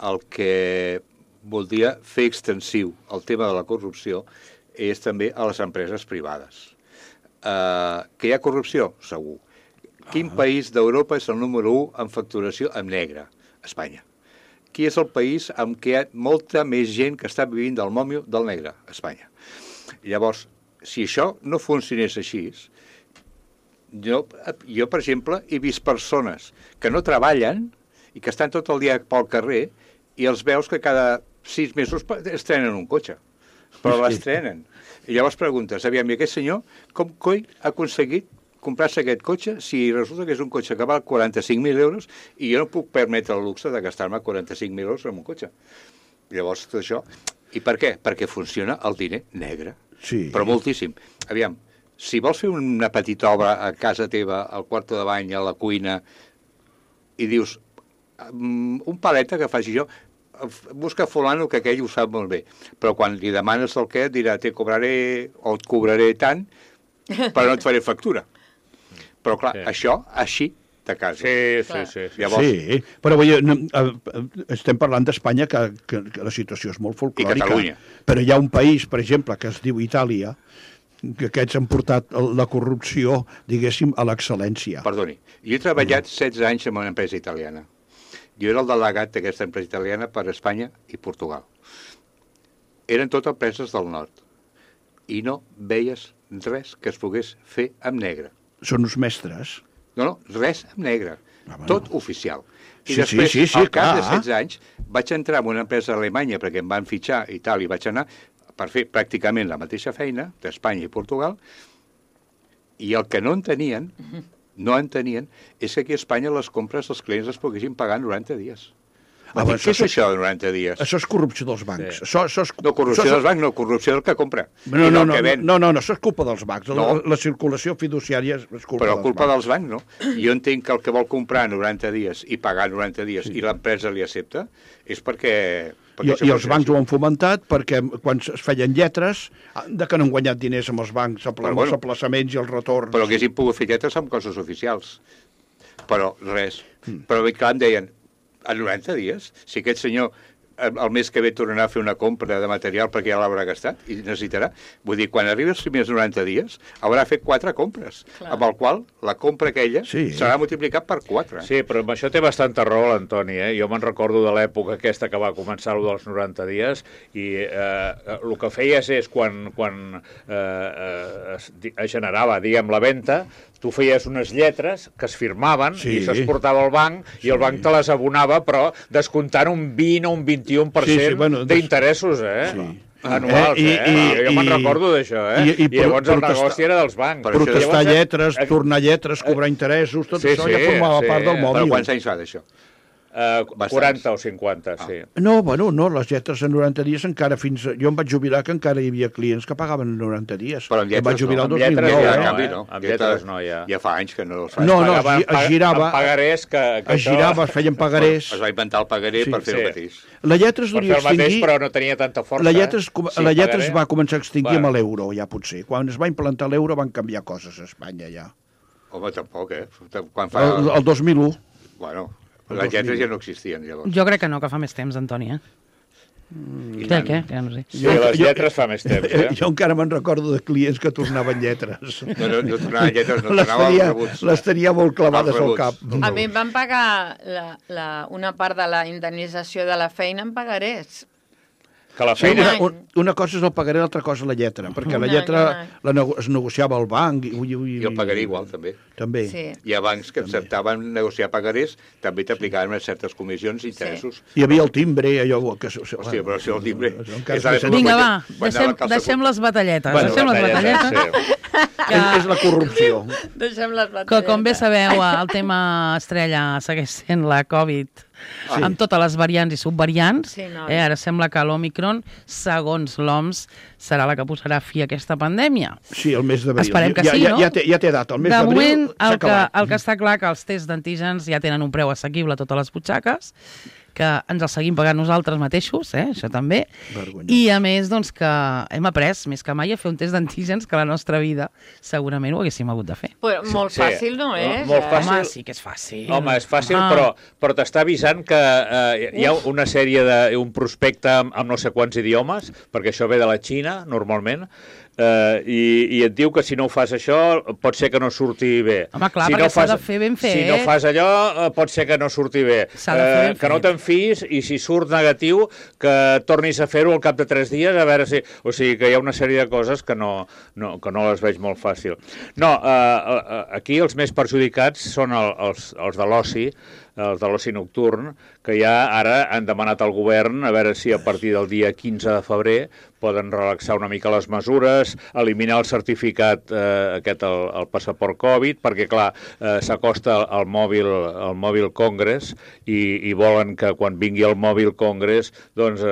el que voldria fer extensiu el tema de la corrupció és també a les empreses privades. Que hi ha corrupció? Segur. Quin país d'Europa és el número 1 en facturació en negre? Espanya. Qui és el país amb què hi ha molta més gent que està vivint del mòmio del negre? Espanya. Llavors, si això no funcionés així, jo, per exemple, he vist persones que no treballen i que estan tot el dia pel carrer i els veus que cada 6 mesos estrenen un cotxe. Però l'estrenen. I llavors preguntes, aviam, i aquest senyor com coi ha aconseguit comprar-se aquest cotxe si resulta que és un cotxe que val 45.000 euros i jo no puc permetre el luxe de gastar-me 45.000 euros en un cotxe. Llavors, tot això... I per què? Perquè funciona el diner negre. Sí. Però moltíssim. Aviam, si vols fer una petita obra a casa teva, al quarto de bany, a la cuina, i dius, un paleta que faci jo, busca fulano que aquell ho sap molt bé. Però quan li demanes el què, dirà, te cobraré o et cobraré tant, però no et faré factura. Però, clar, això, així, de casa. Sí. Llavors... Sí, però estem parlant d'Espanya, que la situació és molt folclòrica. I Catalunya. Però hi ha un país, per exemple, que es diu Itàlia, que aquests han portat la corrupció, diguéssim, a l'excel·lència. Perdoni, jo he treballat 16 anys en una empresa italiana. Jo era el delegat d'aquesta empresa italiana per Espanya i Portugal. Eren tot empreses del nord. I no veies res que es pogués fer amb negre. Són uns mestres. No, res amb negre. Tot oficial. I Sí, després, sí, al cap de clar. 16 anys, vaig entrar en una empresa alemanya perquè em van fitxar i tal, i vaig anar per fer pràcticament la mateixa feina d'Espanya i Portugal, i el que no entenien, és que aquí a Espanya les compres els clients les poguessin pagar en 90 dies. Què és això de 90 dies? Això és corrupció dels bancs. Sí. No, corrupció dels bancs, no, corrupció del que compra. No, això és culpa dels bancs. La circulació fiduciària és culpa dels bancs. Però culpa dels bancs, no. Jo entenc que el que vol comprar 90 dies i pagar 90 dies i l'empresa li accepta, és perquè... I els bancs ho han fomentat perquè quan es feien lletres, que no han guanyat diners amb els bancs, amb els aplaçaments i els retorns. Però haguessin pogut fer lletres amb coses oficials. Però res. Però clar, em deien, a 90 dies, si aquest senyor el mes que ve tornarà a fer una compra de material perquè ja l'haurà gastat i necessitarà. Vull dir, quan arribi els primers 90 dies, haurà fet 4 compres, amb el qual la compra aquella serà multiplicat per 4. Sí, però amb això té bastanta raó l'Antoni. Jo me'n recordo de l'època aquesta que va començar el dels 90 dies i el que feies és quan es generava, diguem, la venda, tu feies unes lletres que es firmaven i se'ls portava al banc i el banc te les abonava, però descomptant un 20 o un 21% d'interessos, anuals, Jo me'n recordo d'això, I llavors el negoci era dels bancs. Protestar lletres, tornar lletres, cobrar interessos, tot això ja formava part del mòbil. Però quants anys fa d'això? 40 o 50, sí. No, les lletres en 90 dies encara fins... Jo em vaig jubilar que encara hi havia clients que pagaven en 90 dies. Però amb lletres no. Amb lletres no, ja. Ja fa anys que no els fa. No, es girava... Amb pagarés que es girava, es feien pagarés. Es va inventar el pagaré per fer el mateix. La lletra es volia extingir... però no tenia tanta força. La lletra es va començar a extingir amb l'euro, ja potser. Quan es va implantar l'euro van canviar coses a Espanya, ja. Home, tampoc, El 2001. Bueno... Les lletres ja no existien, llavors. Jo crec que no, que fa més temps, Antoni, Què? Ja no sé. Sí, les lletres fa més temps, Jo encara me'n recordo de clients que tornaven lletres. No tornaven lletres, no tornaven els rebuts. Les tenia molt clavades al cap. A mi em van pagar una part de la indemnització de la feina en pagarés. Que la Sí, feina... una cosa és el pagaré, l'altra cosa la lletra, perquè la lletra es negociava al banc. I el pagaré igual, també. També. Sí. Hi ha bancs que acceptaven negociar pagarés, també t'aplicaven certes comissions i interessos. Hi havia el timbre, allò... Que, Hòstia, però si el timbre... Vinga, va, deixem les batalletes. Deixem les batalletes. És la corrupció. Deixem les batalletes. Que, com bé sabeu, el tema estrella segueix sent la Covid, amb totes les variants i subvariants. Sí, no. Ara sembla que l'Omicron, segons l'OMS, serà la que posarà fi a aquesta pandèmia. Sí, el mes d'abril. Esperem que sí, no? Ja té data, el mes De d'abril moment, s'ha acabat. el que està clar que els tests d'antígens ja tenen un preu assequible a totes les butxaques, que ens el seguim pagant nosaltres mateixos, això també. Vergonyós. I a més, doncs, que hem après més que mai a fer un test d'antígens que a la nostra vida segurament ho haguéssim hagut de fer. Però molt fàcil no és, Molt fàcil. Home, sí que és fàcil. Home, és fàcil, però t'està avisant que hi ha una sèrie un prospecte amb no sé quants idiomes, perquè això ve de la Xina, normalment, i et diu que si no ho fas això pot ser que no surti bé. Home, clar, si perquè no s'ha de fer ben fet. Si no fas allò, pot ser que no surti bé. S'ha de fer ben que no fet. te'n fiïs i si surt negatiu que tornis a fer-ho al cap de 3 dies a veure si... O sigui que hi ha una sèrie de coses que no les veig molt fàcil. No, aquí els més perjudicats són els de l'oci, els de l'oci nocturn, que ja ara han demanat al govern a veure si a partir del dia 15 de febrer poden relaxar una mica les mesures, eliminar el certificat el passaport Covid, perquè, clar, s'acosta el mòbil Congress i volen que quan vingui el mòbil Congress doncs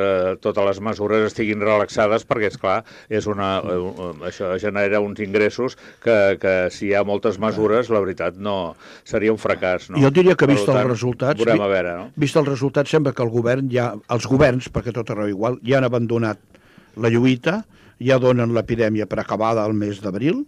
totes les mesures estiguin relaxades perquè, esclar, això genera uns ingressos que si hi ha moltes mesures, la veritat, no seria un fracàs. No? Jo diria que vist els resultats... Veurem a veure, no? Vist els resultats, sembla que el govern els governs, perquè tot arreu igual, ja han abandonat la lluita, ja donen l'epidèmia per acabada al mes d'abril.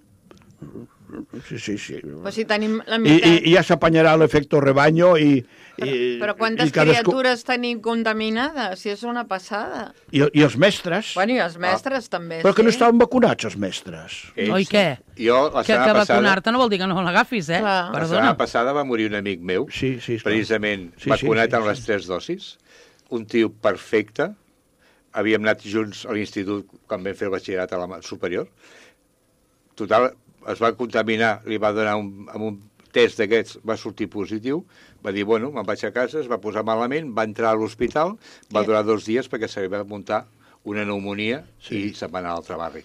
Sí. Però si tenim la meitat... I ja s'apanyarà l'efecte rebaño i... Però quantes criatures tenim contaminades? Si és una passada. I els mestres... Bueno, i els mestres també, Però que no estaven vacunats, els mestres. Oi, què? Jo, la setmana que passada... vacunar-te no vol dir que no l'agafis, Clar. La setmana passada va morir un amic meu, precisament vacunat amb les 3 dosis, un tio perfecte, havíem anat junts a l'institut quan vam fer el batxillerat a la superior. Total, es va contaminar, li va donar amb un test d'aquests, va sortir positiu, va dir, bueno, me'n vaig a casa, es va posar malament, va entrar a l'hospital, va durar 2 dies perquè se li va muntar una pneumonia i se'n va anar a l'altre barri.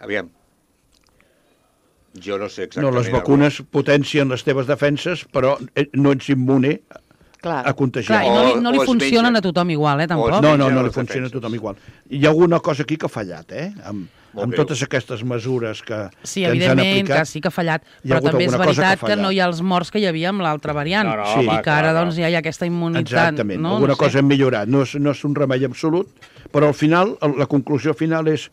Aviam, jo no sé exactament... No, les vacunes potencien les teves defenses, però no ets immune a contagiar. Clar, i no li funcionen a tothom igual, tampoc. No li funciona a tothom igual. Hi ha alguna cosa aquí que ha fallat, amb totes aquestes mesures que ens han aplicat. Sí, evidentment, que sí que ha fallat, però també és veritat que no hi ha els morts que hi havia amb l'altra variant, i que ara doncs ja hi ha aquesta immunitat. Exactament, alguna cosa hem millorat. No és un remei absolut, però al final, la conclusió final és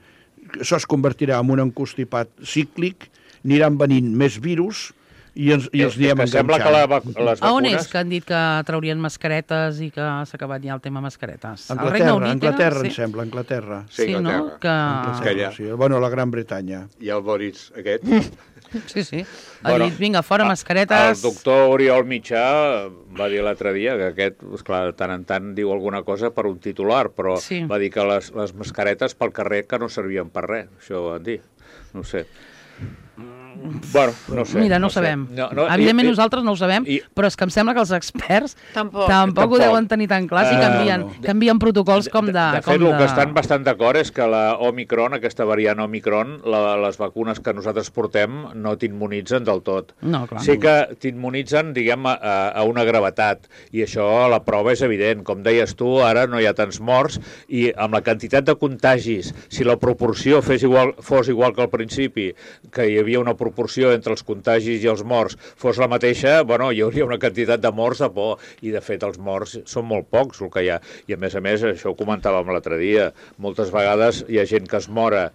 que això es convertirà en un encostipat cíclic, aniran venint més virus i els anirem enganxant. Sembla que les vacunes... A on és que han dit que traurien mascaretes i que s'ha acabat ja el tema mascaretes? Anglaterra, em sembla, Anglaterra. Sí, no? Bueno, la Gran Bretanya. I el Boris aquest... Sí. Ha dit, vinga, fora mascaretes... El doctor Oriol Mitjà va dir l'altre dia que aquest, esclar, de tant en tant diu alguna cosa per un titular, però va dir que les mascaretes pel carrer que no servien per res, això ho van dir. No ho sé. Bueno, no sé. Mira, no ho sabem. Evidentment nosaltres no ho sabem, però és que em sembla que els experts tampoc ho deuen tenir tan clar si canvien protocols com de... De fet, el que estan bastant d'acord és que la Omicron, aquesta variant Omicron, les vacunes que nosaltres portem no t'immunitzen del tot. No, clar. Sí que t'immunitzen, diguem, a una gravetat, i això la prova és evident. Com deies tu, ara no hi ha tants morts, i amb la quantitat de contagis, si la proporció fos igual que al principi, que hi havia una proporció entre els contagis i els morts fos la mateixa, bueno, hi hauria una quantitat de morts de por, i de fet els morts són molt pocs el que hi ha, i a més, això ho comentàvem l'altre dia, moltes vegades hi ha gent que es mora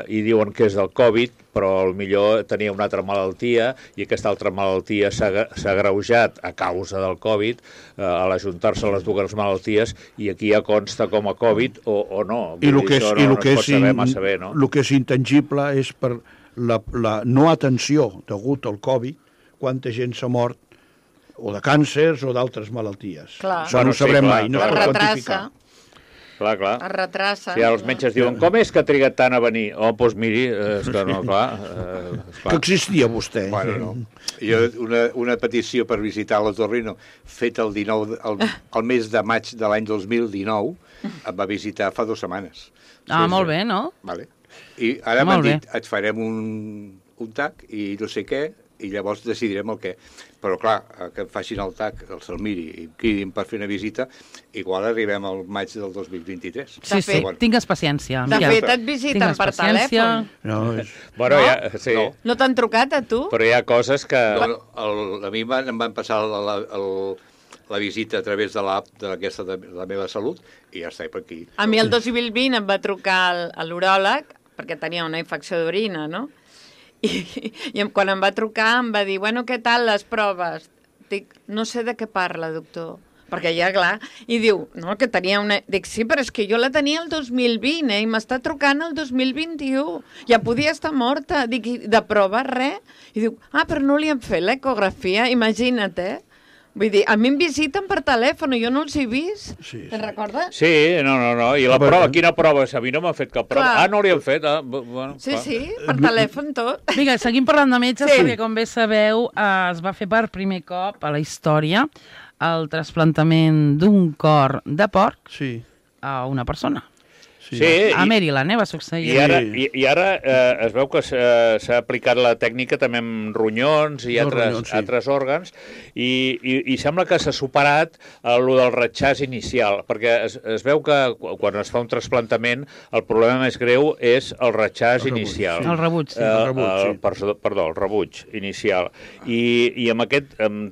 i diuen que és del Covid, però millor tenia una altra malaltia i aquesta altra malaltia s'ha agreujat a causa del Covid a l'ajuntar-se les dues malalties, i aquí ja consta com a Covid o no. I el que és intangible és per la no atenció degut al Covid, quanta gent s'ha mort o de càncers o d'altres malalties. Clar. Això no ho sabrem mai, no es pot quantificar. Clar. Es retrassa. Si els metges diuen, com és que ha trigat tant a venir? Oh, doncs miri, és que no, clar. Que existia vostè. Bueno, no. Jo, una petició per visitar l'Otorrino, feta el mes de maig de l'any 2019, em va visitar fa 2 setmanes. Molt bé, no? Vale. I ara m'han dit, et farem un TAC i no sé què, i llavors decidirem el què. Però, clar, que em facin el TAC, se'l miri i em cridin per fer una visita, igual arribem al maig del 2023. Sí, tingues paciència. De fet, et visiten per telèfon. Bueno, sí. No t'han trucat, a tu? Però hi ha coses que... A mi em van passar la visita a través de l'app de la meva salut i ja està per aquí. A mi el 2020 em va trucar l'uròleg, perquè tenia una infecció d'orina, no? I quan em va trucar em va dir, bueno, què tal les proves? Dic, no sé de què parla, doctor. Perquè ja, clar, i diu, no, que tenia una... Dic, sí, però és que jo la tenia el 2020, i m'està trucant el 2021. Ja podia estar morta. Dic, de prova, res? I diu, però no li han fet l'ecografia, imagina't, Vull dir, a mi em visiten per telèfon, jo no els he vist. Te'n recordes? Sí, no. I la prova, quina prova? A mi no m'han fet cap prova. No li han fet. Bueno, sí, per telèfon tot. Vinga, seguim parlant de metges, perquè com bé sabeu, es va fer per primer cop a la història el trasplantament d'un cor de porc a una persona. Sí, a Maryland, va succeir. I ara es veu que s'ha aplicat la tècnica també amb ronyons i altres òrgans i sembla que s'ha superat el del retxàs inicial, perquè es veu que quan es fa un trasplantament el problema més greu és el retxàs inicial. El rebuig, sí. Perdó, el rebuig inicial. I amb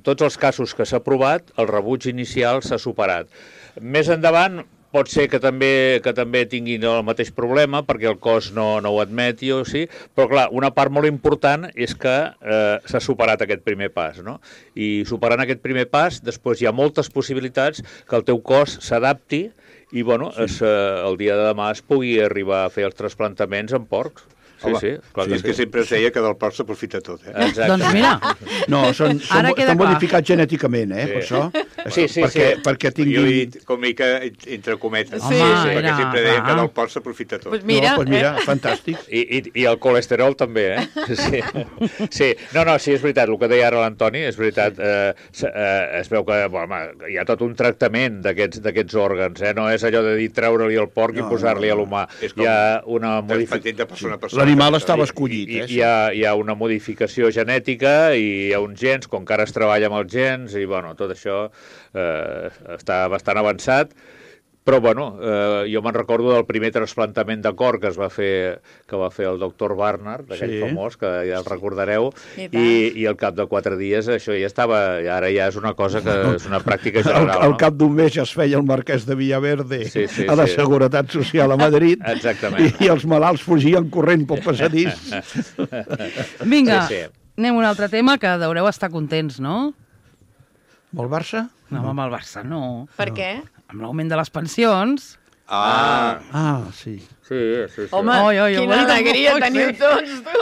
tots els casos que s'ha provat, el rebuig inicial s'ha superat. Més endavant, pot ser que també tinguin el mateix problema, perquè el cos no ho admeti o sí, però clar, una part molt important és que s'ha superat aquest primer pas, no? I superant aquest primer pas, després hi ha moltes possibilitats que el teu cos s'adapti i, bueno, el dia de demà es pugui arribar a fer els trasplantaments en porcs. Sí, clar és que sempre es deia que del porc s'aprofita tot, Exacte. Doncs mira. No, estan modificats genèticament, per això. Sí. Perquè tinguin... Jo he dit com mica entre cometes. Sí, perquè sempre deien que del porc s'aprofita tot. Doncs mira, fantàstic. I el colesterol també, Sí. No, sí, és veritat, el que deia ara l'Antoni, és veritat, es veu que hi ha tot un tractament d'aquests òrgans, no és allò de dir treure-li el porc i posar-li a l'humà. Hi ha una modificació. L'animal estava escollit. Hi ha una modificació genètica i hi ha uns gens, com que ara es treballa amb els gens, i bueno, tot això està bastant avançat. Però, bueno, jo me'n recordo del primer trasplantament de cor que va fer el doctor Barnard, d'aquell famós, que ja el recordareu, i al cap de 4 dies això ja estava, ara ja és una cosa que és una pràctica general. Al cap d'un mes ja es feia el marquès de Villaverde a la Seguretat Social a Madrid. Exactament. I els malalts fugien corrent pel passadís. Vinga, anem a un altre tema que deureu estar contents, no? Amb el Barça? No, amb el Barça no. Per què? Amb l'augment de les pensions. Sí. Home, quina alegria teniu tots, tu.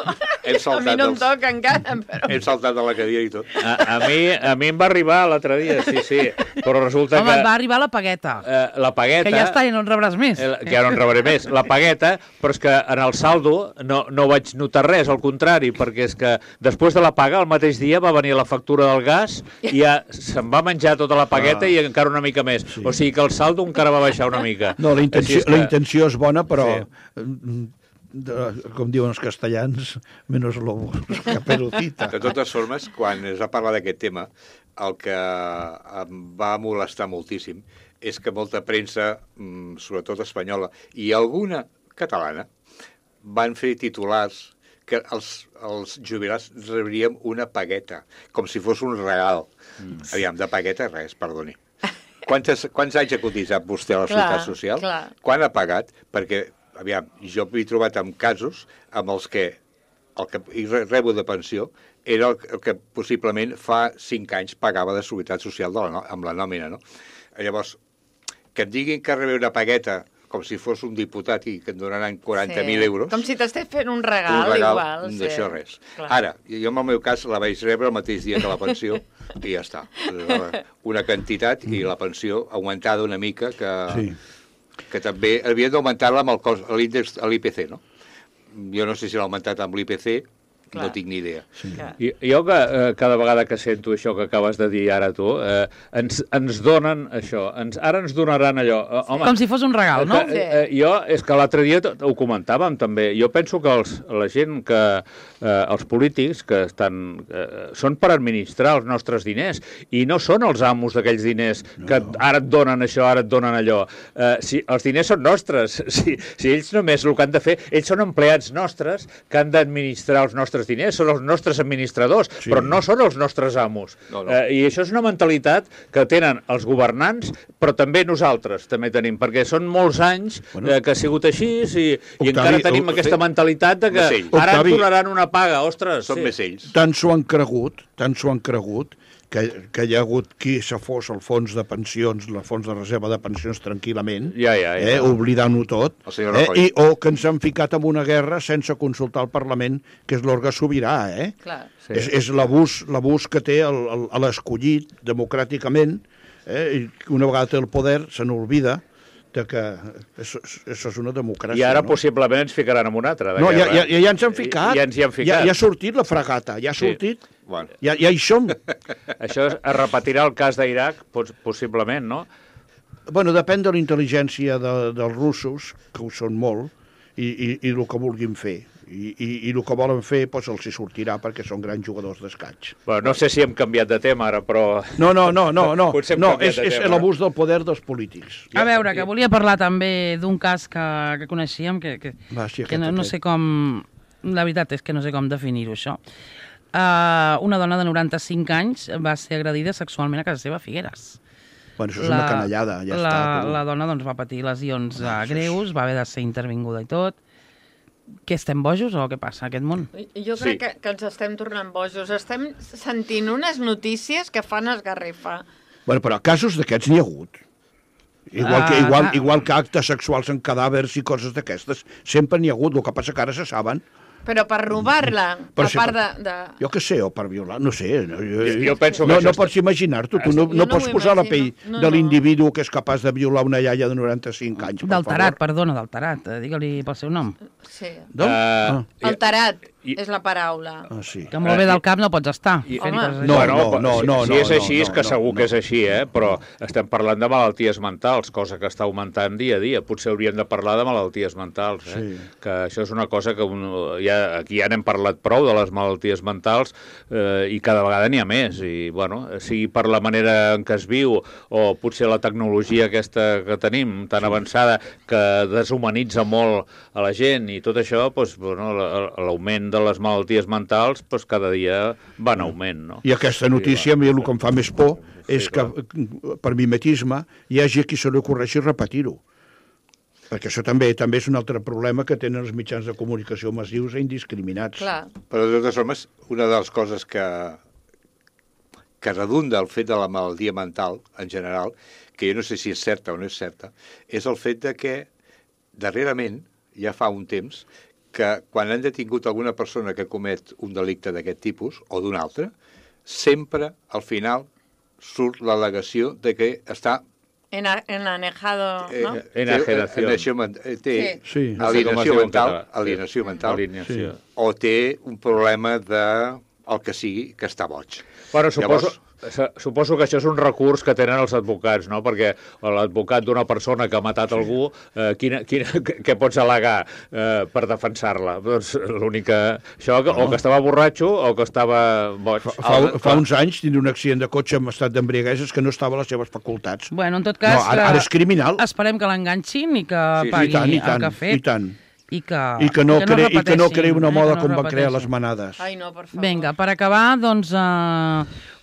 A mi no em toca encara, però... Hem saltat de la cadira i tot. A mi em va arribar l'altre dia, sí. Però resulta que... Home, et va arribar la pagueta. La pagueta... Que ja està, ja no en rebràs més. Que ja no en rebré més. La pagueta, però és que en el saldo no vaig notar res, al contrari, perquè és que després de la paga, el mateix dia va venir la factura del gas i ja se'n va menjar tota la pagueta i encara una mica més. O sigui que el saldo encara va baixar una mica. No, la intenció és bona, però... com diuen els castellans, menos lobos que perotita. De totes formes, quan es va parlar d'aquest tema, el que em va molestar moltíssim és que molta premsa, sobretot espanyola, i alguna catalana, van fer titulars que els jubilats rebríem una pagueta, com si fos un regal. Aviam, de pagueta res, perdoni. Quants anys ha cotitzat vostè a la Seguretat Social? Quan ha pagat? Perquè aviam, jo m'he trobat amb casos amb els que el que rebo de pensió era el que possiblement fa 5 anys pagava de Seguretat Social amb la nòmina, no? Llavors, que em diguin que rebé una pagueta com si fos un diputat i que em donaran 40.000 euros... Com si t'estàs fent un regal igual. D'això res. Ara, jo en el meu cas la vaig rebre el mateix dia que la pensió i ja està. Una quantitat i la pensió augmentada una mica que... que també havien d'augmentar-la amb el cost, l'índex, l'IPC, no? Jo no sé si l'ha augmentat amb l'IPC, no tinc ni idea. Sí. Jo cada vegada que sento això que acabes de dir ara tu, ens donen això, ara ens donaran allò. Home, com si fos un regal, no? Jo, és que l'altre dia ho comentàvem també, jo penso que la gent que, els polítics que estan, són per administrar els nostres diners i no són els amos d'aquells diners que ara et donen això, ara et donen allò. Si els diners són nostres, si ells només el que han de fer, ells són empleats nostres que han d'administrar els nostres diners, són els nostres administradors, però no són els nostres amos. I això és una mentalitat que tenen els governants, però també nosaltres també tenim, perquè són molts anys que ha sigut així i encara tenim aquesta mentalitat de que ara ens donaran una paga, ostres. Són més ells. Tant s'ho han cregut, que hi ha hagut qui se fos al fons de pensions, el fons de reserva de pensions tranquil·lament, oblidant-ho tot, o que ens han ficat en una guerra sense consultar el Parlament, que és l'òrgan sobirà. Clar. És l'abús que té l'escollit democràticament, i una vegada té el poder se n'olvida que això és una democràcia. I ara possiblement ens ficaran en una altra de guerra. No, ja ens han ficat. Ja ens hi han ficat. Ja ha sortit la fragata, ja ha sortit. Ja hi som. Això es repetirà el cas d'Iraq, possiblement, no? Bueno, depèn de la intel·ligència dels russos, que ho són molt, i el que vulguin fer. I el que volen fer els hi sortirà perquè són grans jugadors d'escaig. No sé si hem canviat de tema ara, però... No, és l'abús del poder dels polítics. A veure, que volia parlar també d'un cas que coneixíem, que no sé com... La veritat és que no sé com definir-ho, això. Una dona de 95 anys va ser agredida sexualment a casa seva a Figueres. Bueno, això és una canallada, ja està. La dona va patir lesions greus, va haver de ser intervinguda i tot. Que estem bojos o què passa a aquest món? Jo crec que ens estem tornant bojos. Estem sentint unes notícies que fan esgarrifar. Bueno, però casos d'aquests n'hi ha hagut. Igual que actes sexuals en cadàvers i coses d'aquestes. Sempre n'hi ha hagut, el que passa que ara se saben. Però per robar-la, a part de... Jo què sé, o per violar, no sé. Jo penso que no pots imaginar-t'ho, tu no pots posar la pell de l'individu que és capaç de violar una iaia de 95 anys. D'alterat, perdona, d'alterat, digue-li pel seu nom. Sí. Alterat és la paraula. Que molt bé del cap no pots estar. No. Si és així, és que segur que és així, però estem parlant de malalties mentals, cosa que està augmentant dia a dia. Potser hauríem de parlar de malalties mentals, que això és una cosa que aquí ja n'hem parlat prou de les malalties mentals i cada vegada n'hi ha més. I, sigui per la manera en què es viu o potser la tecnologia aquesta que tenim tan avançada que deshumanitza molt a la gent i tot això, l'augment de les malalties mentals cada dia va en augment. No? I aquesta notícia, a mi el que em fa més por és que per mimetisme hi hagi qui se li ocorreixi repetir-ho. Perquè això també és un altre problema que tenen els mitjans de comunicació massius i indiscriminats. Clar. Però de totes formes, una de les coses que redunda el fet de la malaltia mental, en general, que jo no sé si és certa o no és certa, és el fet de que darrerament, ja fa un temps, que quan han detingut alguna persona que comet un delicte d'aquest tipus o d'un altre, sempre al final surt l'al·legació de que està enanejado, ¿no? Enajenación. Té alienació mental o té un problema de el que sigui, que està boig. Bueno, suposo que això és un recurs que tenen els advocats, no? Perquè l'advocat d'una persona que ha matat algú, què pots al·legar per defensar-la? Doncs l'única... Això, o que estava borratxo o que estava boig. Fa uns anys tindre un accident de cotxe en estat d'embriaguesa que no estava a les seves facultats. Bueno, en tot cas... Ara és criminal. Esperem que l'enganxin i que pagui el que ha fet. I tant. I que no creï una moda com van crear les manades. Ai, no, per favor. Vinga, per acabar, doncs,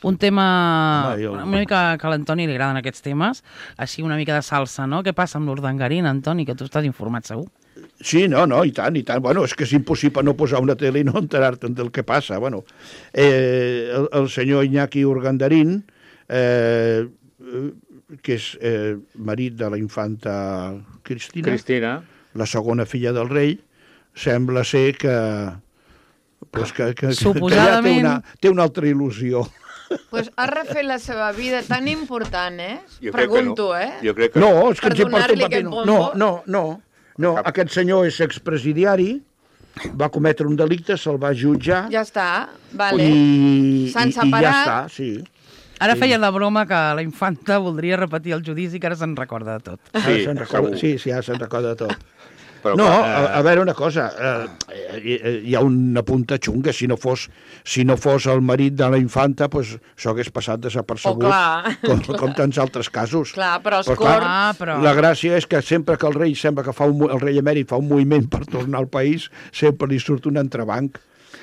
un tema una mica que a l'Antoni li agraden aquests temes, així una mica de salsa, no? Què passa amb l'Urdangarín, Antoni, que tu estàs informat segur? Sí, no, i tant. Bueno, és que és impossible no posar una tele i no enterar-te'n del que passa. Bueno, el senyor Iñaki Urdangarín, que és marit de la infanta Cristina, la segona filla del rei, sembla ser que ja té una altra il·lusió. Pues ha refet la seva vida tan important, Jo crec que Pregunto, no. Jo crec que No, és que Per ens importa un donar-li paper. aquest No, bombo? no. Aquest senyor és expresidiari, va cometre un delicte, se'l va jutjar Ja està, vale. S'han i ja separat. està, sí. Ara feia la broma que la infanta voldria repetir el judici, que ara se'n recorda de tot. Sí, Segur. segur. Sí, ara se'n recorda de tot. Però, No, clar, a veure una cosa, hi ha una punta xunga, si no fos el marit de la infanta, pues, això hagués passat desapercebut, clar. com tants altres casos. Clar, però els Però clar, corts... però... La gràcia és que sempre que el rei sembla que el rei emèrit fa un moviment per tornar al país, sempre li surt un entrebanc.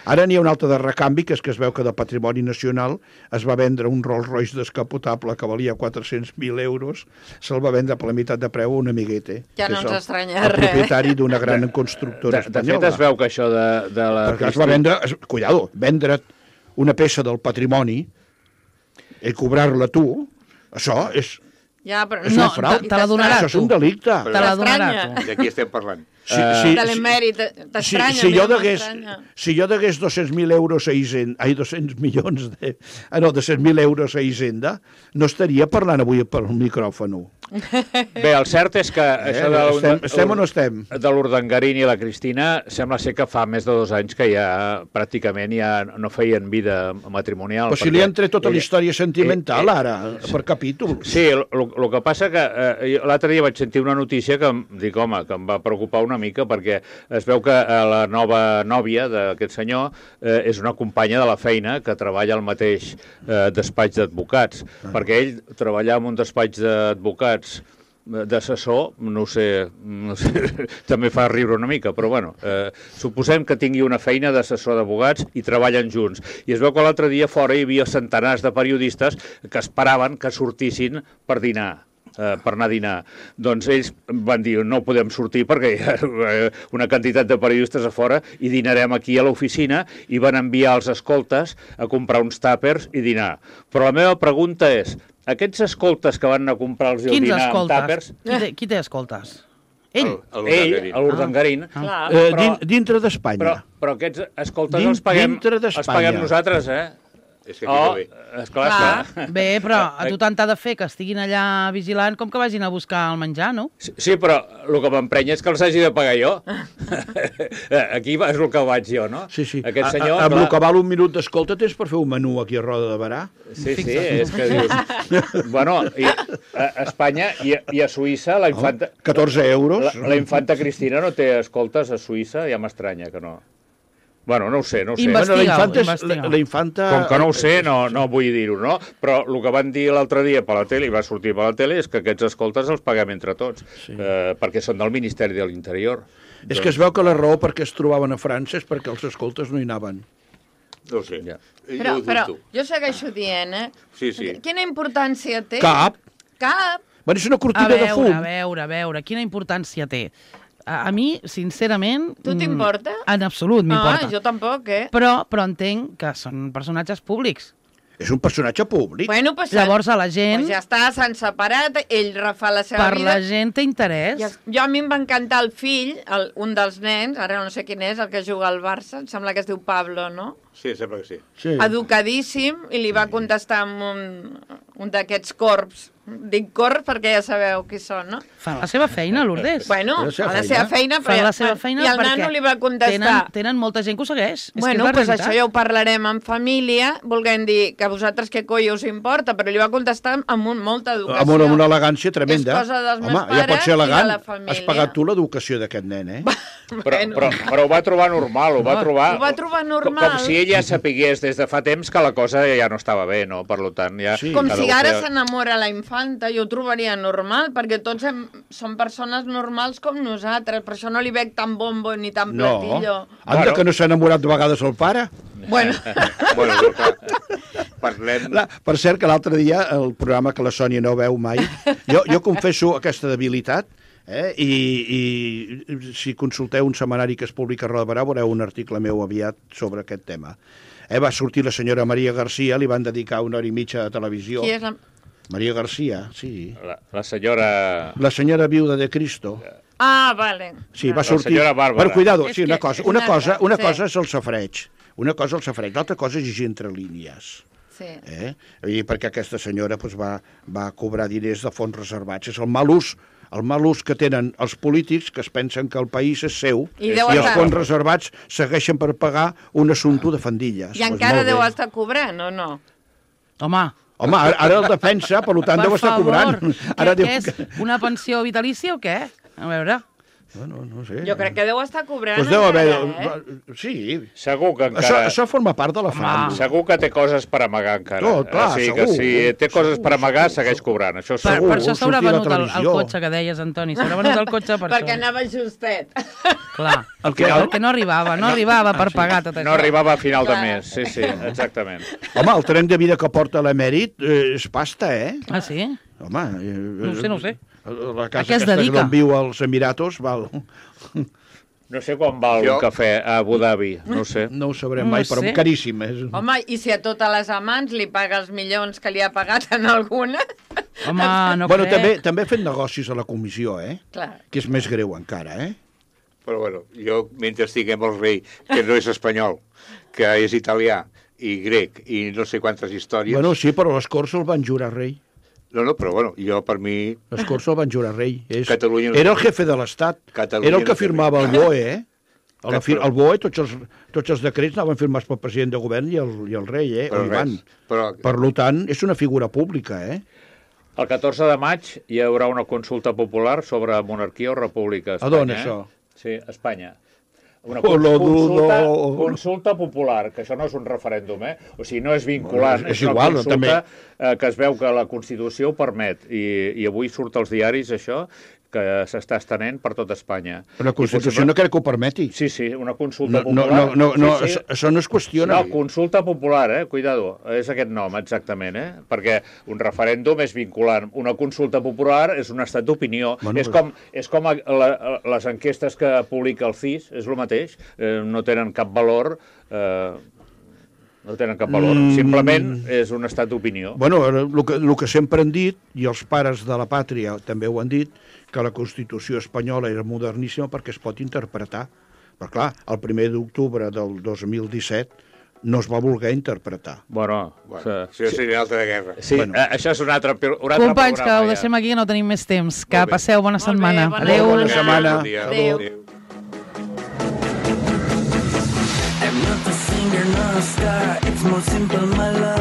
Ara n'hi ha un altre de recanvi, que és que es veu que del patrimoni nacional es va vendre un Rolls Royce descapotable que valia 400.000 euros, se'l va vendre per la meitat de preu a un amiguete. Ja que no és ens el- estranya el res. propietari d'una gran constructora De espanyola. fet, es veu que això de la... Perquè es va vendre, cuidado, vendre una peça del patrimoni i cobrar-la tu, això és Ja, però És un frau. te la donarà això és un delicte. Te la donarà T'estranya. tu. de qui estem parlant? De l'emèrit, t'estranya. si jo a mi no degués, m'estranya. si jo degués 200.000 euros a Hisenda, 200 milions de... no, 200.000 euros a Hisenda, no estaria parlant avui per un micròfon. Bé, el cert és que això de Estem o no estem? de l'Urdangarín i la Cristina sembla ser que fa més de 2 anys que ja pràcticament ja no feien vida matrimonial. Però si li han tret tota la història sentimental, ara, per capítol. Sí, el que passa que l'altre dia vaig sentir una notícia que dic, home, que em va preocupar una mica perquè es veu que la nova nòvia d'aquest senyor és una companya de la feina que treballa al mateix despatx d'advocats, perquè ell treballar en un despatx d'advocats d'assessor, no ho sé, també fa riure una mica, però bueno, suposem que tingui una feina d'assessor d'advocats i treballen junts. I es veu que l'altre dia fora hi havia centenars de periodistes que esperaven que sortissin per dinar. Per anar a dinar. Doncs ells van dir, no podem sortir perquè hi ha una quantitat de periodistes a fora i dinarem aquí a l'oficina, i van enviar els escoltes a comprar uns tàpers i dinar. Però la meva pregunta és, aquests escoltes que van anar a comprar-los i Quins dinar amb escoltes? tàpers... Qui té escoltes? Ell? Ell, a l'Urdangarín. Clar. Dintre d'Espanya. Però aquests escoltes els paguem d'Espanya. nosaltres, És que aquí no ve. Esclar. Bé, però a tu tant t'ha de fer que estiguin allà vigilant com que vagin a buscar el menjar, no? Sí, però el que m'emprenya és que els hagi de pagar jo. Aquí és el que vaig jo, no? Sí. Aquest senyor... Amb el que val un minut d'escolta tens per fer un menú aquí a Roda de Barà? Sí, és que dius... Bueno, a Espanya i a Suïssa la infanta... 14 euros. La infanta Cristina no té escoltes a Suïssa, ja m'estranya que no. Bueno, no ho sé. La infanta... Com que no ho sé, no vull dir-ho, no? Però el que van dir l'altre dia per la tele, i va sortir per la tele, és que aquests escoltes els paguem entre tots, perquè són del Ministeri de l'Interior. És que es veu que la raó perquè es trobaven a França és perquè els escoltes no hi anaven. No ho sé. Ja. Però jo segueixo dient, Sí. Quina importància té? Cap. Bueno, és una A cortina de fum. veure, quina importància té? A mi, sincerament... Tu t'importa? En absolut m'importa. Jo tampoc, Però entenc que són personatges públics. És un personatge públic. Bueno, pues, Llavors a la gent... Pues ja està, s'han separat, ell refà la seva Per vida. la gent té interès. Jo a mi em va encantar el fill, un dels nens, ara no sé quin és, el que juga al Barça, em sembla que es diu Pablo, no? Sí, sembla que sí. Sí. Educadíssim, i li va contestar amb un d'aquests corps. Dic corps perquè ja sabeu qui són, no? Fan la seva feina, Lourdes. Bueno, fa la seva feina, Fan la seva feina i el perquè nano li va contestar. Tenen molta gent que ho segueix. Bueno, és que és la pues realitat. això ja ho parlarem en família, volguem dir que a vosaltres què coi us importa, però li va contestar amb molta educació. Amb una elegància tremenda. És cosa dels meus Home, ja pot pares ser i de elegant. la família. Has pagat tu l'educació d'aquest nen, eh? Però ho va trobar normal, ho va trobar normal. com si ella sapigués des de fa temps que la cosa ja no estava bé, no? Per tant, ja... Sí. Com si ara s'enamora la infanta, jo ho trobaria normal, perquè tots som persones normals com nosaltres, per això no li veig tan bombo ni tan platillo. Anda, que no s'ha enamorat de vegades el pare. Bueno. Bueno, clar, parlem... Per cert, que l'altre dia, el programa que la Sònia no veu mai, jo confesso aquesta debilitat, i si consulteu un setmanari que es publica a Roda de Barà veureu un article meu aviat sobre aquest tema. Va sortir la senyora Maria Garcia, li van dedicar 1 hora i mitja de televisió. Qui és la... Maria Garcia, sí. La senyora... La senyora viuda de Cristo. Ah, vale. Sí, va sortir... senyora Bàrbara. Però cuidado, És sí, una que cosa és és el safreig. Una cosa és el safreig, l'altra cosa és llegir entre línies. Sí. Perquè aquesta senyora va cobrar diners de fons reservats. És el mal ús que tenen els polítics, que es pensen que el país és seu, i els fons reservats segueixen per pagar un assumpte de fandilles. I encara deu estar cobrant, o no? Home, ara el defensa, per tant deu estar cobrant. Què és? Una pensió vitalícia o què? A veure... No sé. Jo crec que deu estar cobrant pues deu haver... Sí. Segur que encara... Això forma part de la fama. Segur que té coses per amagar encara. No, clar, o sigui segur. Que si té coses per amagar, segueix cobrant. Això segur. Per això s'haurà venut el cotxe que deies, Antoni. S'haurà venut el cotxe per perquè anava justet. Clar, perquè no arribava per pagar tot això. No arribava a final de mes, sí, exactament. Home, el tren de vida que porta l'emèrit és pasta, Ah, sí? Home... No ho sé. La casa aquesta d'on viu als Emiratos val... No sé quan val un cafè a Abu Dhabi, no ho sé. No ho sabrem mai, però caríssim. Home, i si a totes les amants li paga els milions que li ha pagat en alguna? Home, no bueno, també ha fet negocis a la comissió, Clar. Que és més greu encara, Però bueno, jo, mentre estiguem el rei, que no és espanyol, que és italià i grec i no sé quantes històries... Bueno, sí, però les Corts el van jurar rei. No, però bueno, jo per mi... Les Corts el van jurar rei. Catalunya... Era el jefe de l'Estat. Era el que firmava el BOE, El BOE, tots els decrets anaven firmats pel president de govern i el rei, Per tant, és una figura pública, El 14 de maig hi haurà una consulta popular sobre monarquia o república a Espanya. A d'on, això? Sí, a Espanya. Una consulta popular, que això no és un referèndum, O sigui, no és vinculant, és una consulta que es veu que la Constitució ho permet, i avui surt als diaris això, que s'està estenent per tot Espanya. Però la Constitució no crec que ho permeti. Sí, una consulta popular. No, això no es qüestiona. No, consulta popular, cuidado, és aquest nom exactament, perquè un referèndum és vinculant. Una consulta popular és un estat d'opinió. És com les enquestes que publica el CIS, és el mateix, no tenen cap valor... Simplement és un estat d'opinió. Bueno, el que sempre han dit, i els pares de la pàtria també ho han dit, que la Constitució espanyola era moderníssima perquè es pot interpretar. Però clar, el 1 d'octubre del 2017 no es va voler interpretar. Bueno, això seria altra guerra. Sí, això és un altre programa. Companys, que ho deixem aquí, no tenim més temps. Que passeu bona setmana. Adéu. Bona setmana. Adéu. I'm not a singer, not a star. It's more simple, my love.